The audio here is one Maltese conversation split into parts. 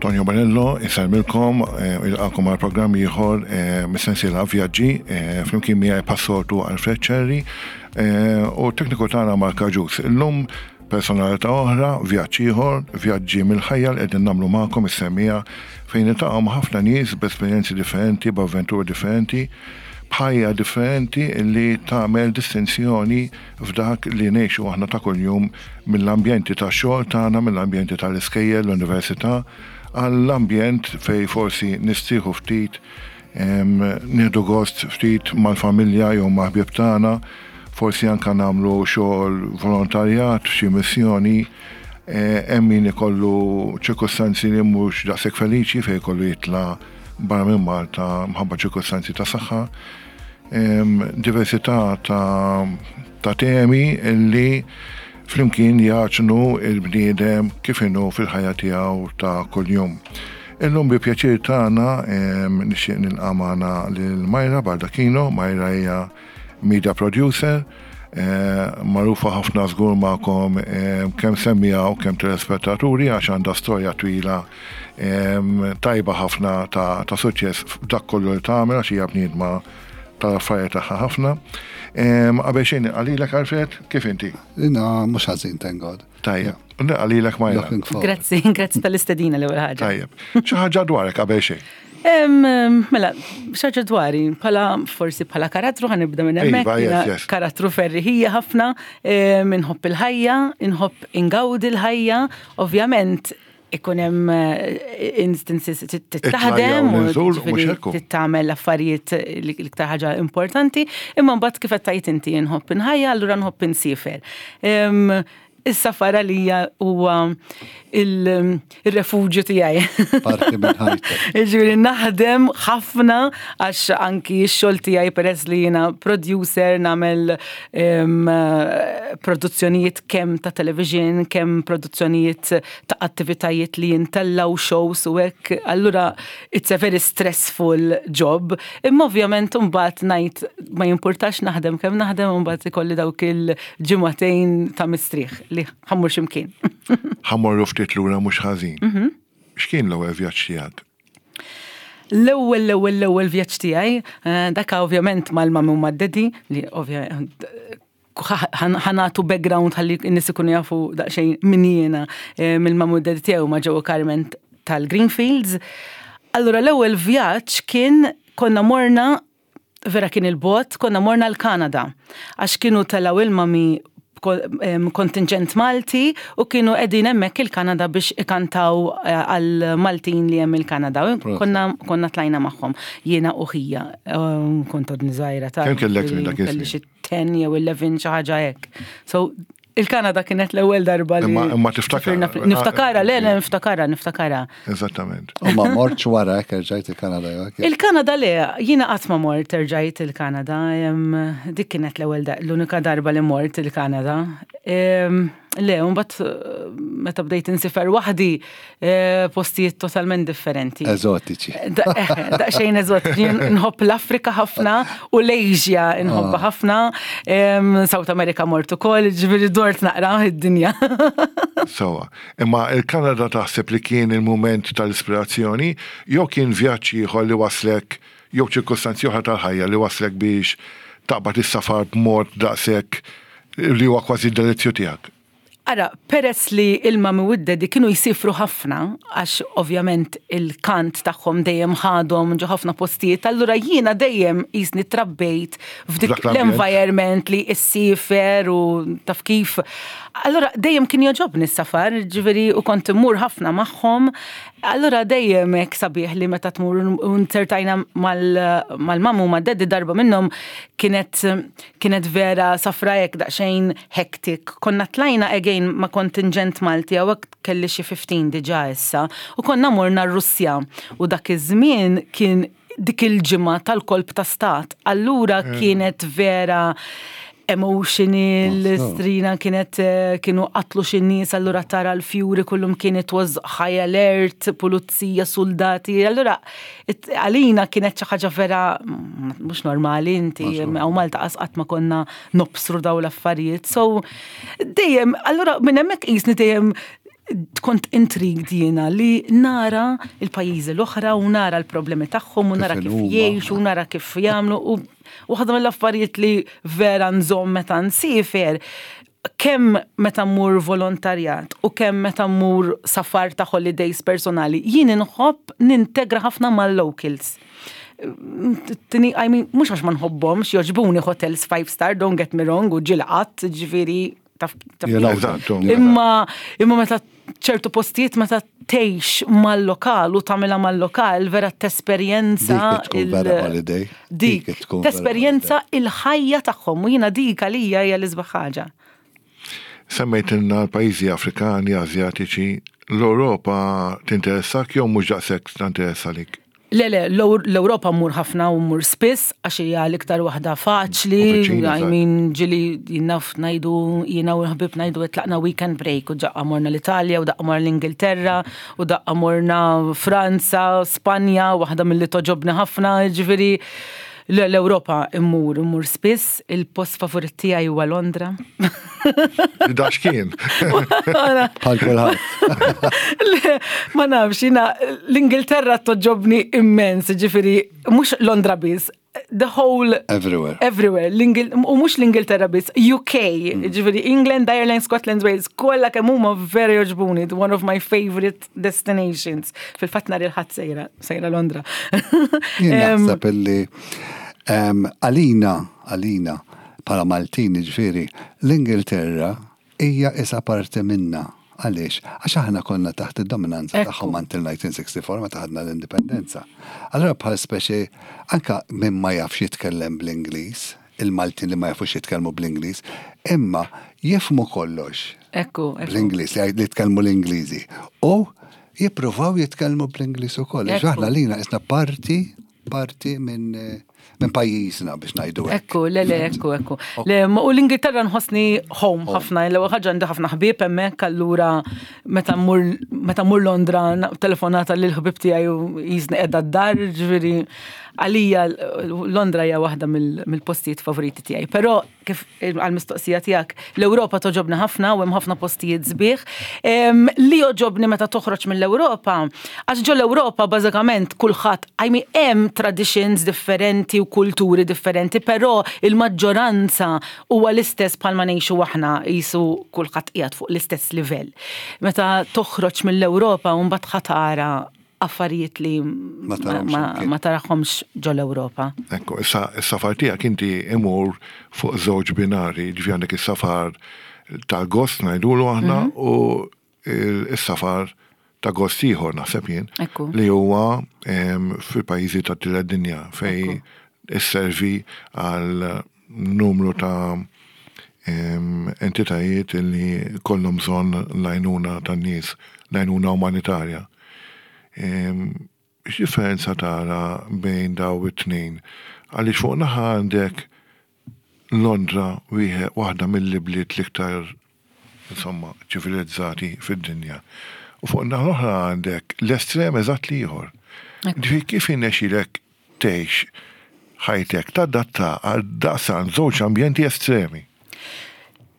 Tonio Bonello, isarmilkom, eh, il-għakom għal programm ieħor eh, mis-sensiela vjaġġi, eh, flimkien miegħi passortu Alfred Cherry u tekniku tagħna Mark Aġus. Illum personalità oħra, vjaġġ ieħor, vjaġġi mill-ħajja li qegħdin nagħmlu magħkom is-semmiegħa fejn niltaqgħu ma' ħafna nies b'esperjenzi differenti, b'avventuri differenti, b'ħajja differenti li tagħmel distinzjoni f'dak li ngħixu aħna ta' kuljum mill-ambjenti tax-xogħol tagħna, mill-ambjenti tal-iskejjel, l-università, għall-ambjent fejn forsi nistrieħu ftit Nieħdu gost ftit mal-familja jew ma' ħbieb tagħna, forsi anke nagħmlu xogħol volontarjat f'xi missjoni. Hemm min ikollu ċirkustanzi li mhux daqshekk feliċi fejn ikollu jitla' barra minn Malta mħabba ċirkustanzi ta' saħħa. Diversità ta' temi li flimkien jagħġnu l-bniedem kif inhu fil-ħajja tiegħu ta' kuljum. Illum bi pjaċir tagħna nixtieq nilqa' magħna lil Myra Baldacchino. Myra hija media producer, magħrufa ħafna żgur magħkom kemm semmiegħa u kemm telespettaturi għax għandha storja twila tajba ħafna ta' suċċess f'dak kollu li tagħmel għax hija bniedma tal-affarijiet tagħha ħafna. Qabel xejn nilqa' lilek Alfred, kif inti? Jiena mhux ħażin, thank God. Tajjeb. Nilqa' lilek Majra. Grazzi, grazzi tal-istedina l-ewwel ħaġa. Tajjeb. Xi ħaġa dwarek qabel xejn. Mela, xi ħaġa dwari, bħala forsi bħala karattru ħanibda minn hemmhekk. Iva, karattru ferriħija ħafna, inħobb il-ħajja, inħobb ingawdi l-ħajja, ovvjament ikun hemm eh, instances taħdem u tagħmel affarijiet l-iktar ħaġa importanti, imma mbagħad kif qed tgħid inti nħobb inħajja, allura nħobb insifer. Is-safar għalija huwa il-refuġju tiegħi. Parti minn ħajtek. Ġifieri naħdem ħafna għax anki x-xogħol tiegħi peress li jiena producer nagħmel produzzjonijiet kemm ta' television, kemm produzzjonijiet ta' attivitajiet li jintellaw shows u hekk, allura it's a very stressful job. Imma ovvjament imbagħad ngħid ma jimpurtax naħdem kemm naħdem imbagħad ikolli dawk il-ġimagħtejn ta' mistrieħ li ħammur x'imkien. Ħammorru ftit lura mhux ħażin. Mhm. X'kien l-ewwel vjaġġ tiegħek? L-ewwel l-ewwel l-ewwel vjaġġ tiegħi, eh, dak ovvjament mal-mami u mad-daddy li ovvjament ħanatu background ħalli n-nies ikunu jafu daqsxejn min jiena eh, mill-mamu d tiegħu ma' ġewwa Carmen tal-Greenfields. Allura l-ewwel vjaġġ kien konna morna vera kien il-bot, konna morna l-Kanada. Għax kienu telaw il-mami kontingent Malti u kienu qegħdin hemmhekk il-Kanada biex ikantaw eh, għal Maltin li hemm il-Kanada. Konna konna tlajna magħhom jiena u ħija. Kont għadni żgħira ta' Kemm kellek minn dak Kelli xi 10 jew 11 xi ħaġa hekk. So il-Kanada kienet l-ewwel darba li. Imma tiftakar. Niftakara, le, le, niftakara, niftakara. Eżattament. U ma mortx wara hekk erġajt il-Kanada jew Il-Kanada le, jiena qatt ma mort erġajt il-Kanada. Dik kienet l-ewwel l-unika darba li mort il-Kanada. Le, mbagħad eh, meta bdejt insifer waħdi eh, postijiet totalment differenti. Eżotiċi. Eh, daqsxejn eżotiċi. Nħobb l-Afrika ħafna u l-Asia nħobba ah. ħafna. South America mort ukoll, ġifieri dort naqra id-dinja. Sawa. Imma il-Kanada taħseb li kien il-mument tal-ispirazzjoni jew kien vjaġġ ieħor li waslek jew ċirkustanzi oħra tal-ħajja li waslek biex taqbad is-safar b'mod daqshekk li huwa kważi d-delizzju tiegħek? Ara, peress li il-mami u d-daddy kienu jsifru ħafna, għax ovvjament il-kant tagħhom dejjem ħadhom ġo ħafna postijiet, allura jiena dejjem qisni trabbejt f'dik l-environment li ssifer u taf kif. Allura dejjem kien jogħġobni s-safar, ġifieri u kont immur ħafna magħhom. Allura dejjem hekk sabiħ li meta tmur u nzertajna mal-mamu u mad-daddy darba minnhom kienet kienet vera safra hekk daqsxejn hectic. Konna tlajna again ma' kontingent Malti hawnhekk kelli xi 15 diġà issa u konna morna r-Russja u dak iż-żmien kien dik il-ġimgħa tal-kolp ta' stat. Allura kienet vera. emotional, strina kienet eh, kienu qatlu xi nies allura tara l-fjuri kullum kien it was high alert, pulizija, soldati, allura għalina kienet xi ħaġa vera mm, mhux normali inti hawn Malta qas qatt ma konna nobsru daw l-affarijiet. So dejjem, allura minn hemmhekk qisni dejjem kont intrigued jiena li nara il-pajjiżi l-oħra u nara l-problemi tagħhom u nara kif jgħixu u nara kif jagħmlu u waħda mill-affarijiet li vera nżomm meta nsiefer kemm meta mmur volontarjat u kemm meta mmur safar ta' holidays personali, jien inħobb nintegra ħafna mal-locals. Tini, I mean, mhux għax ma nħobbhomx, jogħġbuni hotels five star, don't get me wrong, u ġilqat, ġifieri taf Imma imma meta ċertu postijiet meta tgħix mal-lokal u tagħmilha mal-lokal vera tesperjenza dik tesperjenza il-ħajja tagħhom u jiena dik għalija hija l-isbaħ ħaġa. Semmejtilna l-pajjiżi Afrikani, Asjatiċi, l-Ewropa tinteressak jew mhux daqshekk tinteressa lik? Le, le, l-Ewropa mmur ħafna u mmur spiss għax hija l-iktar waħda faċli. I mean, ġili jinnaf ngħidu jiena u l-ħbib ngħidu tlaqna weekend break u daqqa morna l-Italja u daqqa morna l-Ingilterra u daqqa morna Franza, Spanja, waħda mill-li toġobni ħafna, ġifieri l-Ewropa immur, immur spiss, il-post favorit tiegħi huwa Londra. Dax kien. Bħal kulħadd. Ma nafx, jiena l-Ingilterra toġobni immens, ġifieri mhux Londra biss, the whole everywhere. Everywhere. U mhux l-Ingilterra biss, UK, ġifieri England, Ireland, Scotland, Wales, kollha kemm huma vera jogħġbuni, one of my favorite destinations. Fil-fatt nhar il-Ħadd sejra, sejra Londra. Jien naħseb illi għalina, għalina, bħala Maltin ġifieri, l-Ingilterra hija isa parti minna. Għaliex? Għax aħna konna taħt id-dominanza tagħhom until 1964 meta ħadna l-indipendenza. Allura bħal speċi anka min ma jafx jitkellem bl-Ingliż, il-Maltin li ma jafux jitkellmu bl-Ingliż, imma jifhmu kollox. Ekku, ekku. Bl-Ingliż, li jitkellmu l-Ingliżi. U jippruvaw jitkellmu bl-Ingliż ukoll. Aħna lina isna parti parti minn minn pajjiżna biex ngħidu hekk. Ekku, le le, ekku, ekku. Le, u l-Ingilterra nħossni home ħafna, l-ewwel ħaġa għandi ħafna ħbieb hemmhekk allura meta mmur meta mmur Londra telefonata lil ħbieb tiegħi u jisni qiegħda d-dar, ġifieri għalija Londra hija waħda mill-postijiet favoriti tiegħi. Però kif għal-mistoqsija tiegħek, l-Ewropa toġobni ħafna u hemm ħafna postijiet sbieħ. Li joġobni meta toħroġ mill-Ewropa, għax ġo l-Ewropa bażikament kulħadd, I mean hemm traditions differenti u kulturi differenti, però il-maġġoranza huwa l-istess bħalma ngħixu aħna qisu kulħadd qiegħed fuq l-istess livell. Meta toħroġ mill-Ewropa u mbagħad ħa tara affarijiet li ma tarahomx ġol-Ewropa. Ekku, issa s-safar tiegħek inti imur fuq żewġ binari, ġifieri għandek is-safar tal-gost ngħidulu aħna mhm. u s-safar ta' gost ieħor naħseb jien li huwa fil-pajjiżi ta' tielet dinja fej isservi għal numru ta' entitajiet li kollhom bżonn l-għajnuna tan-nies, l-għajnuna umanitarja. X'differenza tara bejn daw it-tnejn? Għaliex fuq naħa għandek Londra wieħed waħda mill-ibliet l-iktar insomma ċivilizzati fid-dinja. U fuq naħa l-oħra għandek l-estrem eżatt l-ieħor. Ġifieri kif irnexxielek tgħix ħajtek tadatta għal daqstant żewġ ambjenti estremi.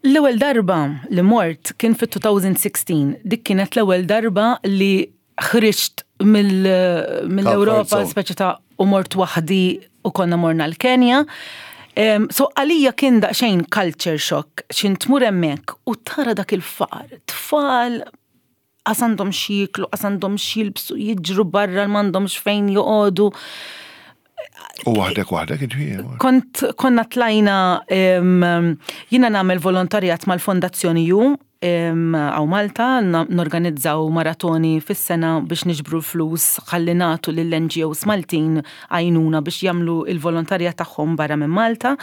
L-ewwel darba li mort kien fit-2016. Dik kienet l-ewwel darba li ħriġt mill-Ewropa speċi ta' u mort waħdi u konna morna l-Kenja. So għalija kien daqsxejn culture shock x'in tmur hemmhekk u tara dak il-faqar, tfal qas għandhom x'jieklu, qas għandhom x'jilbsu, jiġru barra m'għandhomx fejn joqogħdu. U waħdek waħdek ġifieri. Kont konna tlajna jiena nagħmel volontarjat mal-Fondazzjoni Ju għaw Malta norganizzaw maratoni fis-sena biex niġbru l-flus ħalli nagħtu lill-NGOs Maltin għajnuna biex jagħmlu il-volontarjat tagħhom barra minn Malta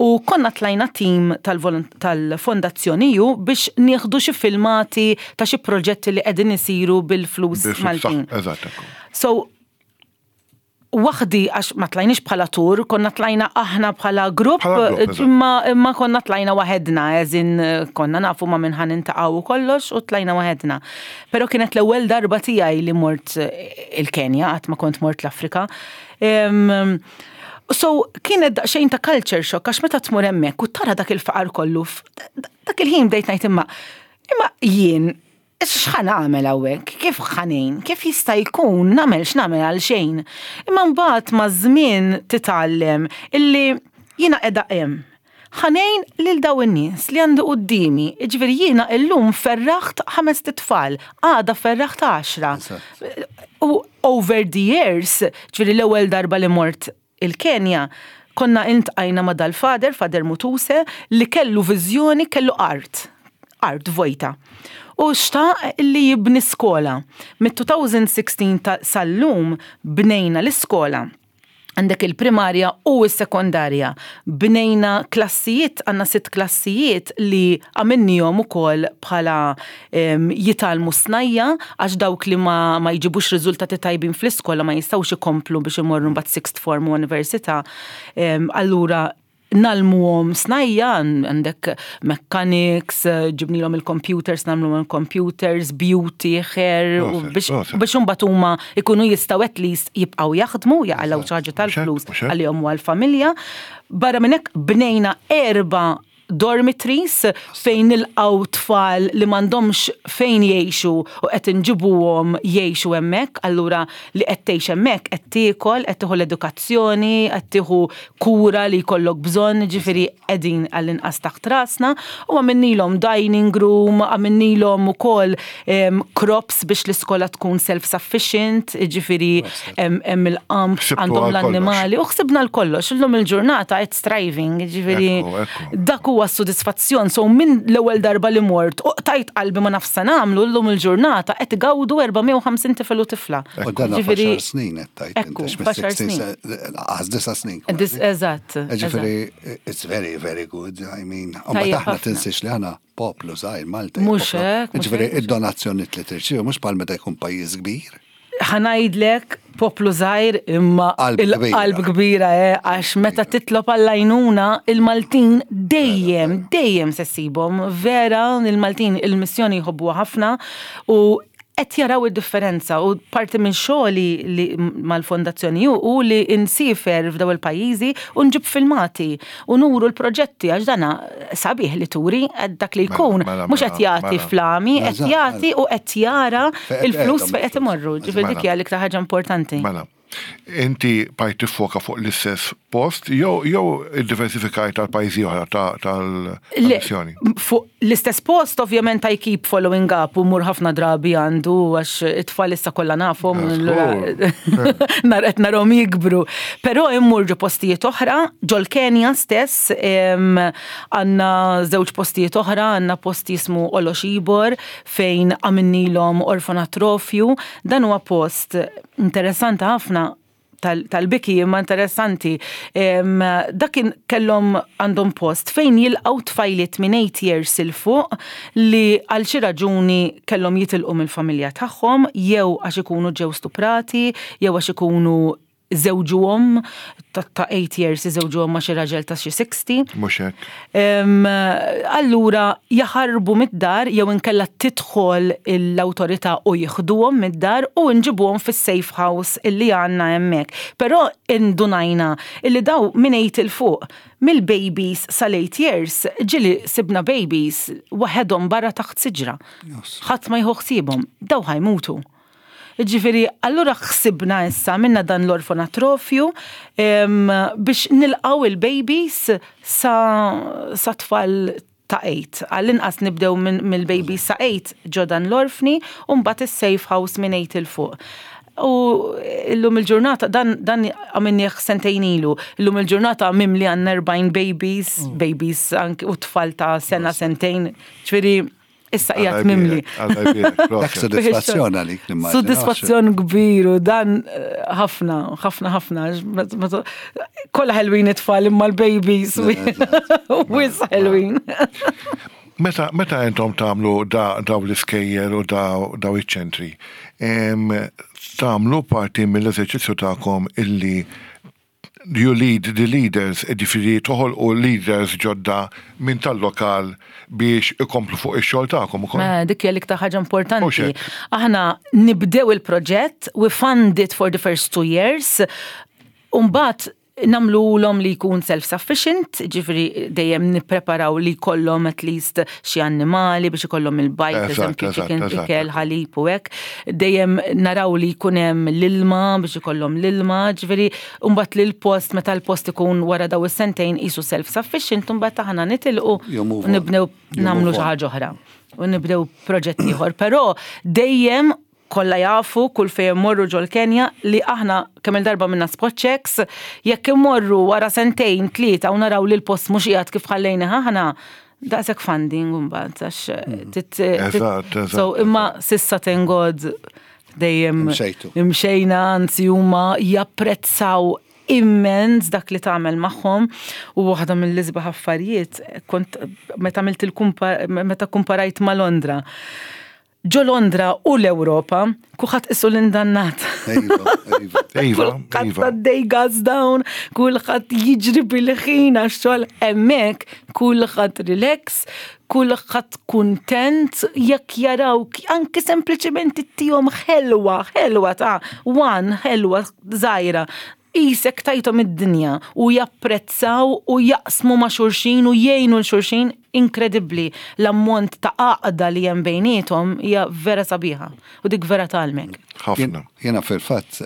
u konna tlajna tim tal-Fondazzjoni Ju biex nieħdu xi filmati ta' xi proġetti li qegħdin isiru bil-flus Maltin. Eżatt. So, Waħdi għax ma tlajniex bħala tur, konna tlajna aħna bħala grupp, imma imma konna tlajna waħedna, eżin konna nafu ma minn ħan intaqgħu u kollox u tlajna waħedna. Però kienet l-ewwel darba tiegħi li mort il-Kenja, qatt ma kont mort l-Afrika. So kienet daqsxejn ta' culture shock għax meta tmur hemmhekk u tara dak il-faqar kollu, dak il-ħin bdejt ngħid imma imma jien X'ħa nagħmel hawnhekk? Kif ħa ngħin? Kif jista' jkun nagħmel x'nagħmel għal xejn? Imma mbagħad maż-żmien titgħallem illi jiena qiegħda hemm. Ħa ngħin lil dawn in-nies li għandi quddiemi. Jiġifieri jiena illum ferraħt ħamest itfal, għada ferraħt għaxra. U over the years, ġifieri l-ewwel darba li mort il-Kenja, konna iltqajna ma' dal-father, Father Mutuse, li kellu viżjoni, kellu art, art vojta. U xtaq li jibni skola. Mit-2016 sal-lum bnejna l-iskola. Għandek il-primarja u s-sekondarja. Bnejna klassijiet, għandna sitt klassijiet li għamilnihom ukoll bħala jitgħallmu snajja għax dawk li ma, ma jġibux riżultati tajbin fl-iskola ma jistgħux ikomplu biex imorru mbagħad sixth form u università. Allura nalmuhom snajja, għandek mechanics, ġibnilhom il-computers, nagħmluhom il-computers, beauty, hair, biex biex imbagħad huma jkunu jistgħu at least jibqgħu jaħdmu, jaqalgħu xi ħaġa tal-flus għalihom u għall-familja. Barra minn hekk bnejna erba' dormitories fejn nilqgħu tfal li m'għandhomx fejn jgħixu u qed inġibuhom jgħixu hemmhekk, allura li qed tgħix hemmhekk qed tiekol, qed tieħu l-edukazzjoni, qed tieħu kura li jkollok bżonn, ġifieri qegħdin għall-inqas taħt rasna u għamilnilhom dining room, għamilnilhom ukoll crops biex l-iskola tkun self-sufficient, ġifieri hemm il-qamħ għandhom l-annimali u ħsibna l-kollox. Illum il-ġurnata it's thriving, ġifieri dak huwa s-sodisfazzjon. So minn l-ewwel darba li mort u qtajt qalbi ma nafx se nagħmlu, llum il-ġurnata qed igawdu 450 tifel u tifla. U dan f'għaxar snin qed tgħid. Ekku, f'għaxar snin. Għaż disa' snin. Eżatt. Ġifieri it's very very good, I mean, u ma taħna tinsiex li aħna poplu żgħir Malta. Mhux hekk. Ġifieri id-donazzjoni li tirċievu mhux bħal meta jkun pajjiż kbir. Ħa ngħidlek poplu żgħir imma il-qalb kbira eh, għax meta titlob għall-għajnuna il-Maltin dejjem, dejjem se ssibhom. Vera, il-Maltin il-missjoni jħobbuha ħafna u qed jaraw id-differenza u parti minn xogħli li mal-fondazzjoni hu li nsiefer f'daw il-pajjiżi u nġib filmati u nuru l-proġetti għax dana sabiħ li turi dak li jkun mela, mela, mhux qed mela, jagħti flami, qed jagħti u qed jara il-flus fejn qed imorru. Ġifieri dik hija l-iktar ħaġa importanti. Mela. Inti bajt tiffoka fuq l-istess post jew jew iddiversifikajt għal pajjiżi oħra tal-missjoni? Fuq l-istess post ovvjament I keep following up u mur ħafna drabi għandu għax it-tfal issa kollha nafhom nar qed narhom jikbru. Però immur ġo postijiet oħra, ġol-Kenja stess għandna żewġ postijiet oħra, għandna post jismu Oloshibor fejn għamilnilhom orfanatrofju. Dan huwa post interessanti ħafna tal-biki imma interessanti. Dak kellhom għandhom post fejn jilqgħu tfajliet minn 8 years 'il fuq li għal xi raġuni kellhom jitilqu mill-familja tagħhom jew għax ikunu ġew stuprati jew għax ikunu żewġuhom ta' 8 years iżewġuhom ma' xi raġel ta' xi 60. Mhux hekk. Allura jaħarbu mid-dar jew inkella tidħol l-awtorità u jieħduhom mid-dar u nġibuhom fis-safe house illi għandna hemmhekk. Però indunajna illi daw minn 8 'il fuq, mill-babies sal-8 years, ġieli sibna babies waħedhom barra taħt siġra. Ħadd ma jieħu ħsiebhom. Daw ħa jmutu. Ġifieri, allura ħsibna issa minna dan l-orfanatrofju biex nilqgħu il-babies sa, sa tfal ta' 8. Għall-inqas nibdew mill-babies sa 8 ġo dan l-orfni u mbagħad is-safe house minn 8 'il fuq. U illum il-ġurnata, dan, dan għamilnieh sentejn ilu, illum il-ġurnata mimli għandna 40 babies, babies anki u tfal ta' sena, sentejn, ġifieri Issa qiegħed mimli. Dak sodisfazzjon għalik nimmaġina. Sodisfazzjon kbir u dan eh, ħafna, ħafna, ħafna. Kollha ħelwin it-tfal imma l-babies. Wis ħelwin. Meta meta intom tagħmlu daw l-iskejjel u daw iċ-ċentri, tagħmlu parti mill-eżerċizzju tagħkom illi you lead the leaders, jiġifieri toħolqu leaders ġodda minn tal-lokal biex ikomplu fuq ix-xogħol tagħkom ukoll. Mela, dik hija l-iktar ħaġa importanti. Aħna nibdew il-proġett, we fund it for the first two years, u mbagħad nagħmluhom li jkun self-sufficient, ġifieri dejjem nippreparaw li jkollhom at least xi annimali biex ikollhom il-bajd, eżempju, chicken, ikel, ħalib u hekk. Dejjem naraw li jkun hemm l-ilma biex ikollhom l-ilma, ġifieri mbagħad li l-post meta l-post ikun wara daw is-sentejn qisu self-sufficient, mbagħad aħna nitilqu u nibnew nagħmlu xi ħaġa oħra u nibdew proġett ieħor. Però dejjem kollha jafu kull fejn immorru ġol-Kenja li aħna kemm il-darba minna spot checks, jekk immorru wara sentejn, tlieta u naraw li l-post mhux qiegħed kif ħallejnih aħna, daqshekk funding imbagħad għax tit So imma s'issa thank God dejjem imxejna anzi huma japprezzaw immens dak li tagħmel magħhom u waħda mill-isbaħ affarijiet kont meta għamilt il meta kumparajt ma' Londra. Ġo Londra u l-Ewropa, kulħadd qisu l-indannat. Iva, iva. Iva, Kulħadd iva. għaddej gas down, kulħadd jiġri bil-ħin għax-xogħol hemmhekk, kulħadd relax, kulħadd kuntent jekk jarawk anke sempliċement ittihom ħelwa, ħelwa ta' one ħelwa żgħira. Qisek tajthom id-dinja u japprezzaw u jaqsmu ma' xulxin u jgħinu 'l xulxin inkredibbli. L-ammont ta' għaqda li hemm bejniethom hija vera sabiħa u dik vera tgħallmek. Ħafna. Jiena fil-fatt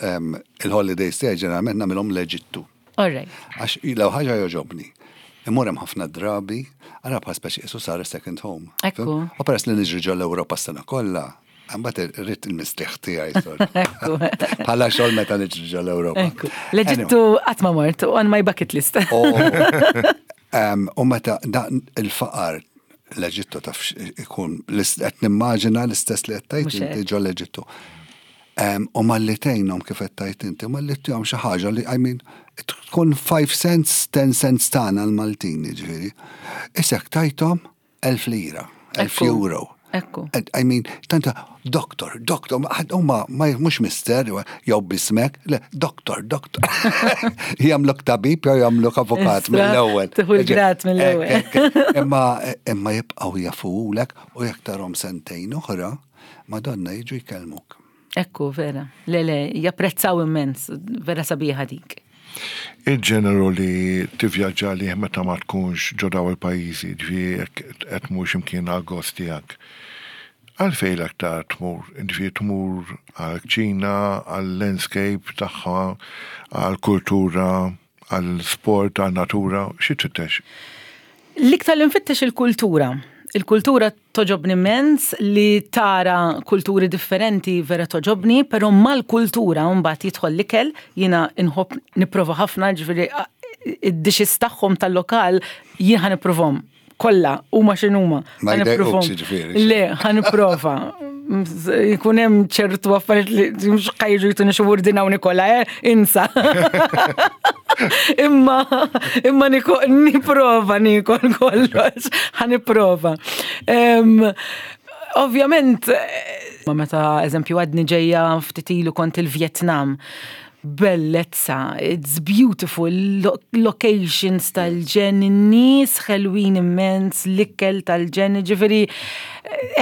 il-holidays tiegħi ġeneralment nagħmilhom l-Eġittu. All right. Għax l ħaġa jogħġobni. Immur hemm ħafna drabi, ara bħal speċi qisu sar second home. Ekku. U peress li niġri ġol Ewropa s-sena kollha, Mbagħad irrid il-mistrieħ tiegħi sor. Ekku. Bħala xogħol meta niġri ġol Ewropa. Ekku. L-Eġittu qatt ma mort on my bucket list. Oh. U meta dan il-faqar l-Eġittu taf ikun qed nimmaġina l-istess li qed tgħid Mhux inti hekk. ġol Eġittu. U malli tgħinhom kif qed tgħid inti, malli tihom xi ħaġa li I mean tkun 5 cents, 10 cents tagħna l-Maltin jiġifieri. Isek tajthom 1000 lira, 1000 Ekku. euro. Ekku. And, I mean, tanta, doktor, doktor, huma ma mhux mister, jew bismek, le, doktor, doktor. Jagħmluk tabib jew jagħmluk avukat Istra, mill-ewwel. tieħu l-grad mill-ewwel. Ek, ek, ek. Imma imma jibqgħu jafulek u jekk tarhom sentejn oħra, Madonna jiġu jkellmuk. Ekku, vera. Le, le, japprezzaw immens, vera sabiħa dik. Il-ġeneru li tivvjaġġa lih meta ma tkunx ġo daw il-pajjiżi, ġifieri jekk qed tmur x'imkien għal gost tiegħek. Għalfejn l-aktar tmur, ġifieri tmur għal-Ċina, għal-landscape tagħha, għal-kultura, għal-sport, għal-natura, xi tfittex? L-iktar li nfittex il-kultura. Il-kultura togħġobni immens li tara kulturi differenti vera togħġobni, pero mal-kultura mbagħad jidħol l-ikel, jiena nħobb nipprova ħafna, ġifieri id-dishes tagħhom tal-lokal jien ħa nipprovhom. Kollha, huma x'inhuma. Ma Ħa nipprovhom. jdejqukx, jiġifieri. Le, ħa nipprova. Jkun hemm ċertu affarijiet li mhux ħa jiġu jtuni xi wurdina u nikola, eh, insa. Imma imma niko, nipprova nikol kollox, ħa nipprova. Em, Ovvjament, eh, ma meta eżempju għadni ġejja ftit ilu kont il-Vietnam, bellezza, it's beautiful, lo locations tal-ġenn, nies ħelwin immens, l-ikel tal-ġenn, ġifieri,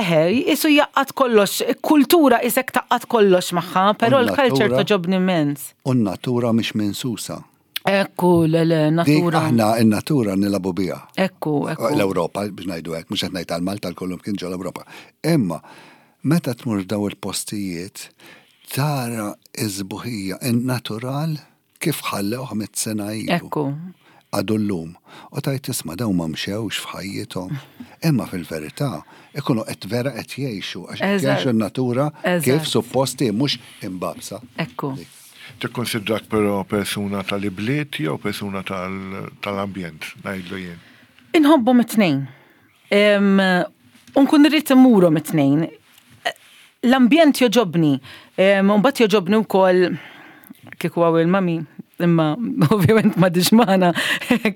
eħe, qisu jgħaqqad kollox, kultura qisek tgħaqqad kollox magħha, pero U l-culture n-natura? togħġobni immens. U n-natura mhix minsusa. Ekku, le, le, Dik natura. aħna n-natura nilagħbu biha. Ekku, ekku. L-Ewropa, biex ngħidu hekk, mhux qed ngħid għal Malta l-kollum kien ġol Ewropa. Imma meta tmur daw il-postijiet tara iż-sbuħija in-natural kif ħallew mitt sena ilu. Ekku. Għadu llum. U tgħid tisma' daw ma mxewx f'ħajjithom. Imma fil-verità ikunu qed vera qed jgħixu għax qed Eżatt. jgħixu n-natura kif Eżatt. supposti mhux imbabsa. Ekku. Tikkonsidrak però persuna tal-ibliet jew persuna tal- tal-ambjent, ngħidlu jien. Inħobbhom it-tnejn. Em, Unkun irrid immurhom it-tnejn. L-ambjent jogħġobni. Mbagħad jogħġobni wkoll kieku hawn il-mami imma ovvjament ma magħna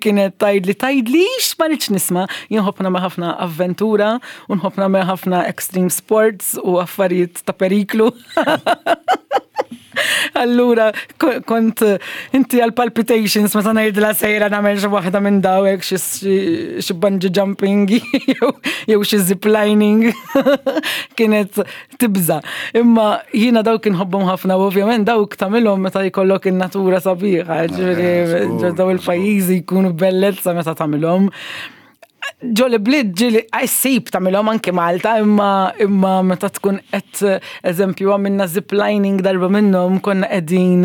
kienet tgħidli tgħidlix ma rridx nisma' jien nħobb nagħmel ħafna avventura u nħobb nagħmel ħafna extreme sports u affarijiet ta' periklu. Allura kont inti għal palpitations meta ngħidilha sejra nagħmel xi waħda minn dawek xi bungee jumping jew xi ziplining kienet tibża. Imma jiena dawk inħobbhom ħafna u ovvjament dawk tagħmilhom meta jkollok in-natura sabiħa, ġifieri daw il-pajjiżi jkunu bellezza meta tagħmilhom. Ġoli bliet ġili ssib tagħmilhom anke Malta, imma imma meta tkun qed eżempju għamilna ziplining darba minnhom konna qegħdin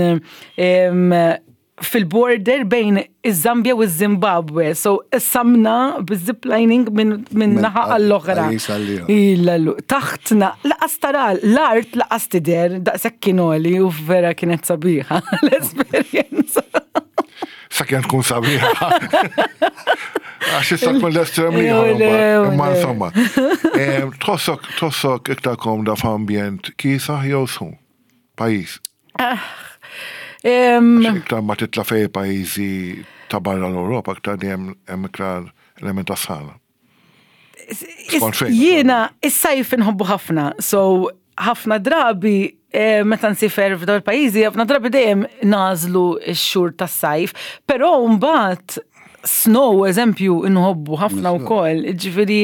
fil-border bejn iż-Zambia u ż-Zimbabwe. So samna biz-ziplining minn naħa għall-oħra. Taħtna, laqas tara l-art laqas tidher daqshekk kien għoli u vera kienet sabiħa l-esperjenza. Sakemm tkun sabiħa. Għax issa tkun l-estrem ieħor. Imma insomma. Tħossok tħossok iktar komda f'ambjent kiesaħ jew sħun? Pajjiż. Ah, iktar ma titla' fej pajjiżi ta' barra l-Ewropa iktar dejjem hemm iktar element ta' sħana. Jiena is-sajf inħobbu ħafna, so ħafna drabi eh, meta nsifer f'dawn il-pajjiżi, ħafna drabi dejjem nażlu x-xhur tas-sajf, però mbagħad snow eżempju inħobbu ħafna wkoll, ġifieri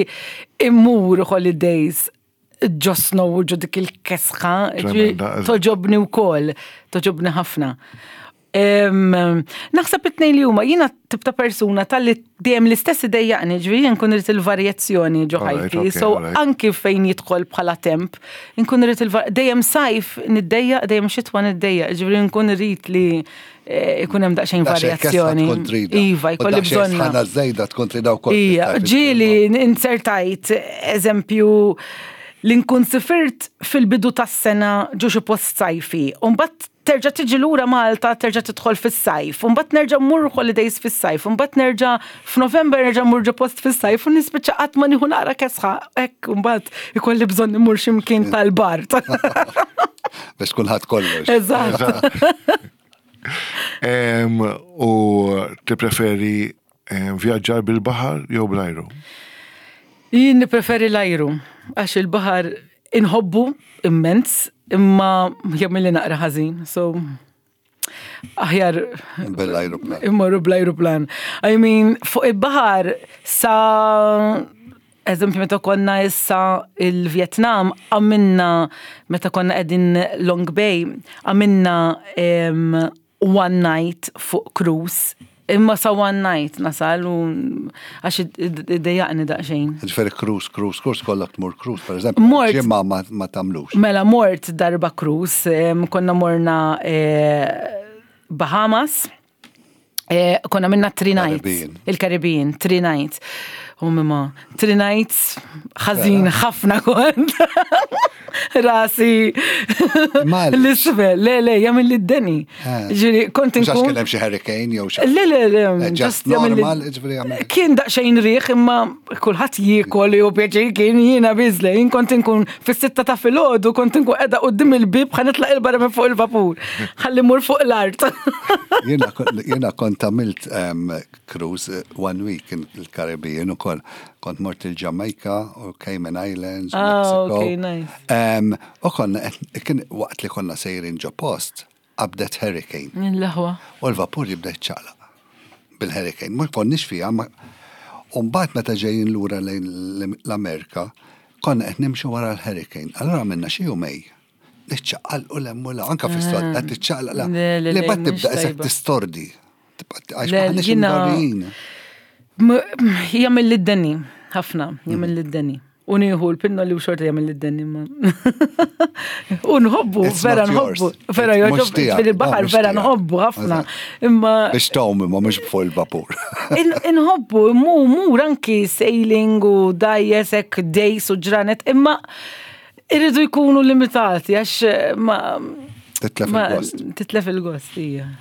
immur holidays ġo snow u ġo dik il-kesħa, toġobni wkoll, toġobni ħafna. Naħseb it-tnejn li huma jiena tip ta' persuna tal-li dejjem l-istess idejjaqni, ġifieri jien nkun irid il-varjazzjoni ġo ħajti. So anki fejn jidħol bħala temp, nkun irid dejjem sajf niddejjaq, dejjem xitwa niddejjaq, ġifieri nkun irid li eh, ikun hemm daqsxejn varjazzjoni. Iva, jkolli bżonn. Ħana żejda tkun trida wkoll. Ija, ġieli insertajt eżempju li nkun sifirt fil-bidu tas-sena ġo xi post sajfi. U mbagħad terġa' tiġi lura Malta, terġa' tidħol fis-sajf, u mbagħad nerġa' mmur holidays fis-sajf, u mbagħad nerġa' f'November nerġa' mmur ġo post fis-sajf u nispiċċa qatt ma nieħu naqra kesħa hekk mbagħad ikolli bżonn immur xi mkien tal-bard. Biex kulħadd kollox. Eżatt. U tippreferi vjaġġar bil-baħar jew bl-ajru? Jien nippreferi l-ajru, għax il-baħar inħobbu immens, imma jagħmilli naqra ħażin, so aħjar bil-ajruplan. Immorru bl-ajruplan. I mean, fuq il-baħar sa eżempju meta konna issa il-Vietnam għamilna meta konna qegħdin Long Bay għamilna one night fuq cruise Imma sa one night nasal u għax iddejjaqni daqsxejn. Ġifieri cruise, cruise, cruise, kollok tmur cruise, per eżempju. Mort. Ġimgħa ma tagħmlux. Mela mort darba cruise, konna morna eh, Bahamas, eh, konna minna three nights. Il-Caribbean, three nights. U mimma, three nights, ħażin ħafna kont. Rasi. L-isfel, le, le, jagħmel li d-deni. Eh. Ġifieri kont inkun. Mhux kien hemm xi hurricane jew xi. Le, le, le, eh, just normal, ġifieri jagħmel. Kien daqsxejn riħ imma kulħadd jiekol jew pjaċir kien jiena biżle, jien kont inkun fis-sitta ta' filgħodu kont inkun qiegħda quddiem il-bieb ħa nitlaq il-barra minn fuq il-vapur. Ħalli mur fuq l-art. Jiena kont għamilt cruise eh, one week in il-Caribbean ukoll. Kont mort il-Jamaica u Cayman Islands u ah, Mexico. Okay, nice. U konna, kien waqt li konna sejrin ġo post, qabdet hurricane. L-aħwa. U l-vapur jibda jċaqlaq bil-hurricane. Ma konniex fiha, ma U mbagħad meta ġejjin lura lejn l-Amerika, konna qed nimxu wara l-hurricane. Allura għamilna xi jumej. Niċċaqalqu 'l hemm u 'l hawn, anke fis-sod qed tiċċaqlaq 'l hawn. Li mbagħad tibda qisek tistordi. Għax m'aħniex imdorrijin. Jagħmel lid-deni, ħafna, jagħmel lid-deni. U nieħu l-pinnoli u xorta jagħmel lid-deni ma. U nħobbu, vera nħobbu, vera jogħġob fil-baħar, vera nħobbu ħafna. Imma. Biex tgħum imma mhux fuq il-vapur. Inħobbu, mu mur anki sailing u dajjes hekk days u ġranet, imma irridu jkunu limitati għax ma. Titlef il-gost. Titlef il-gost, hija.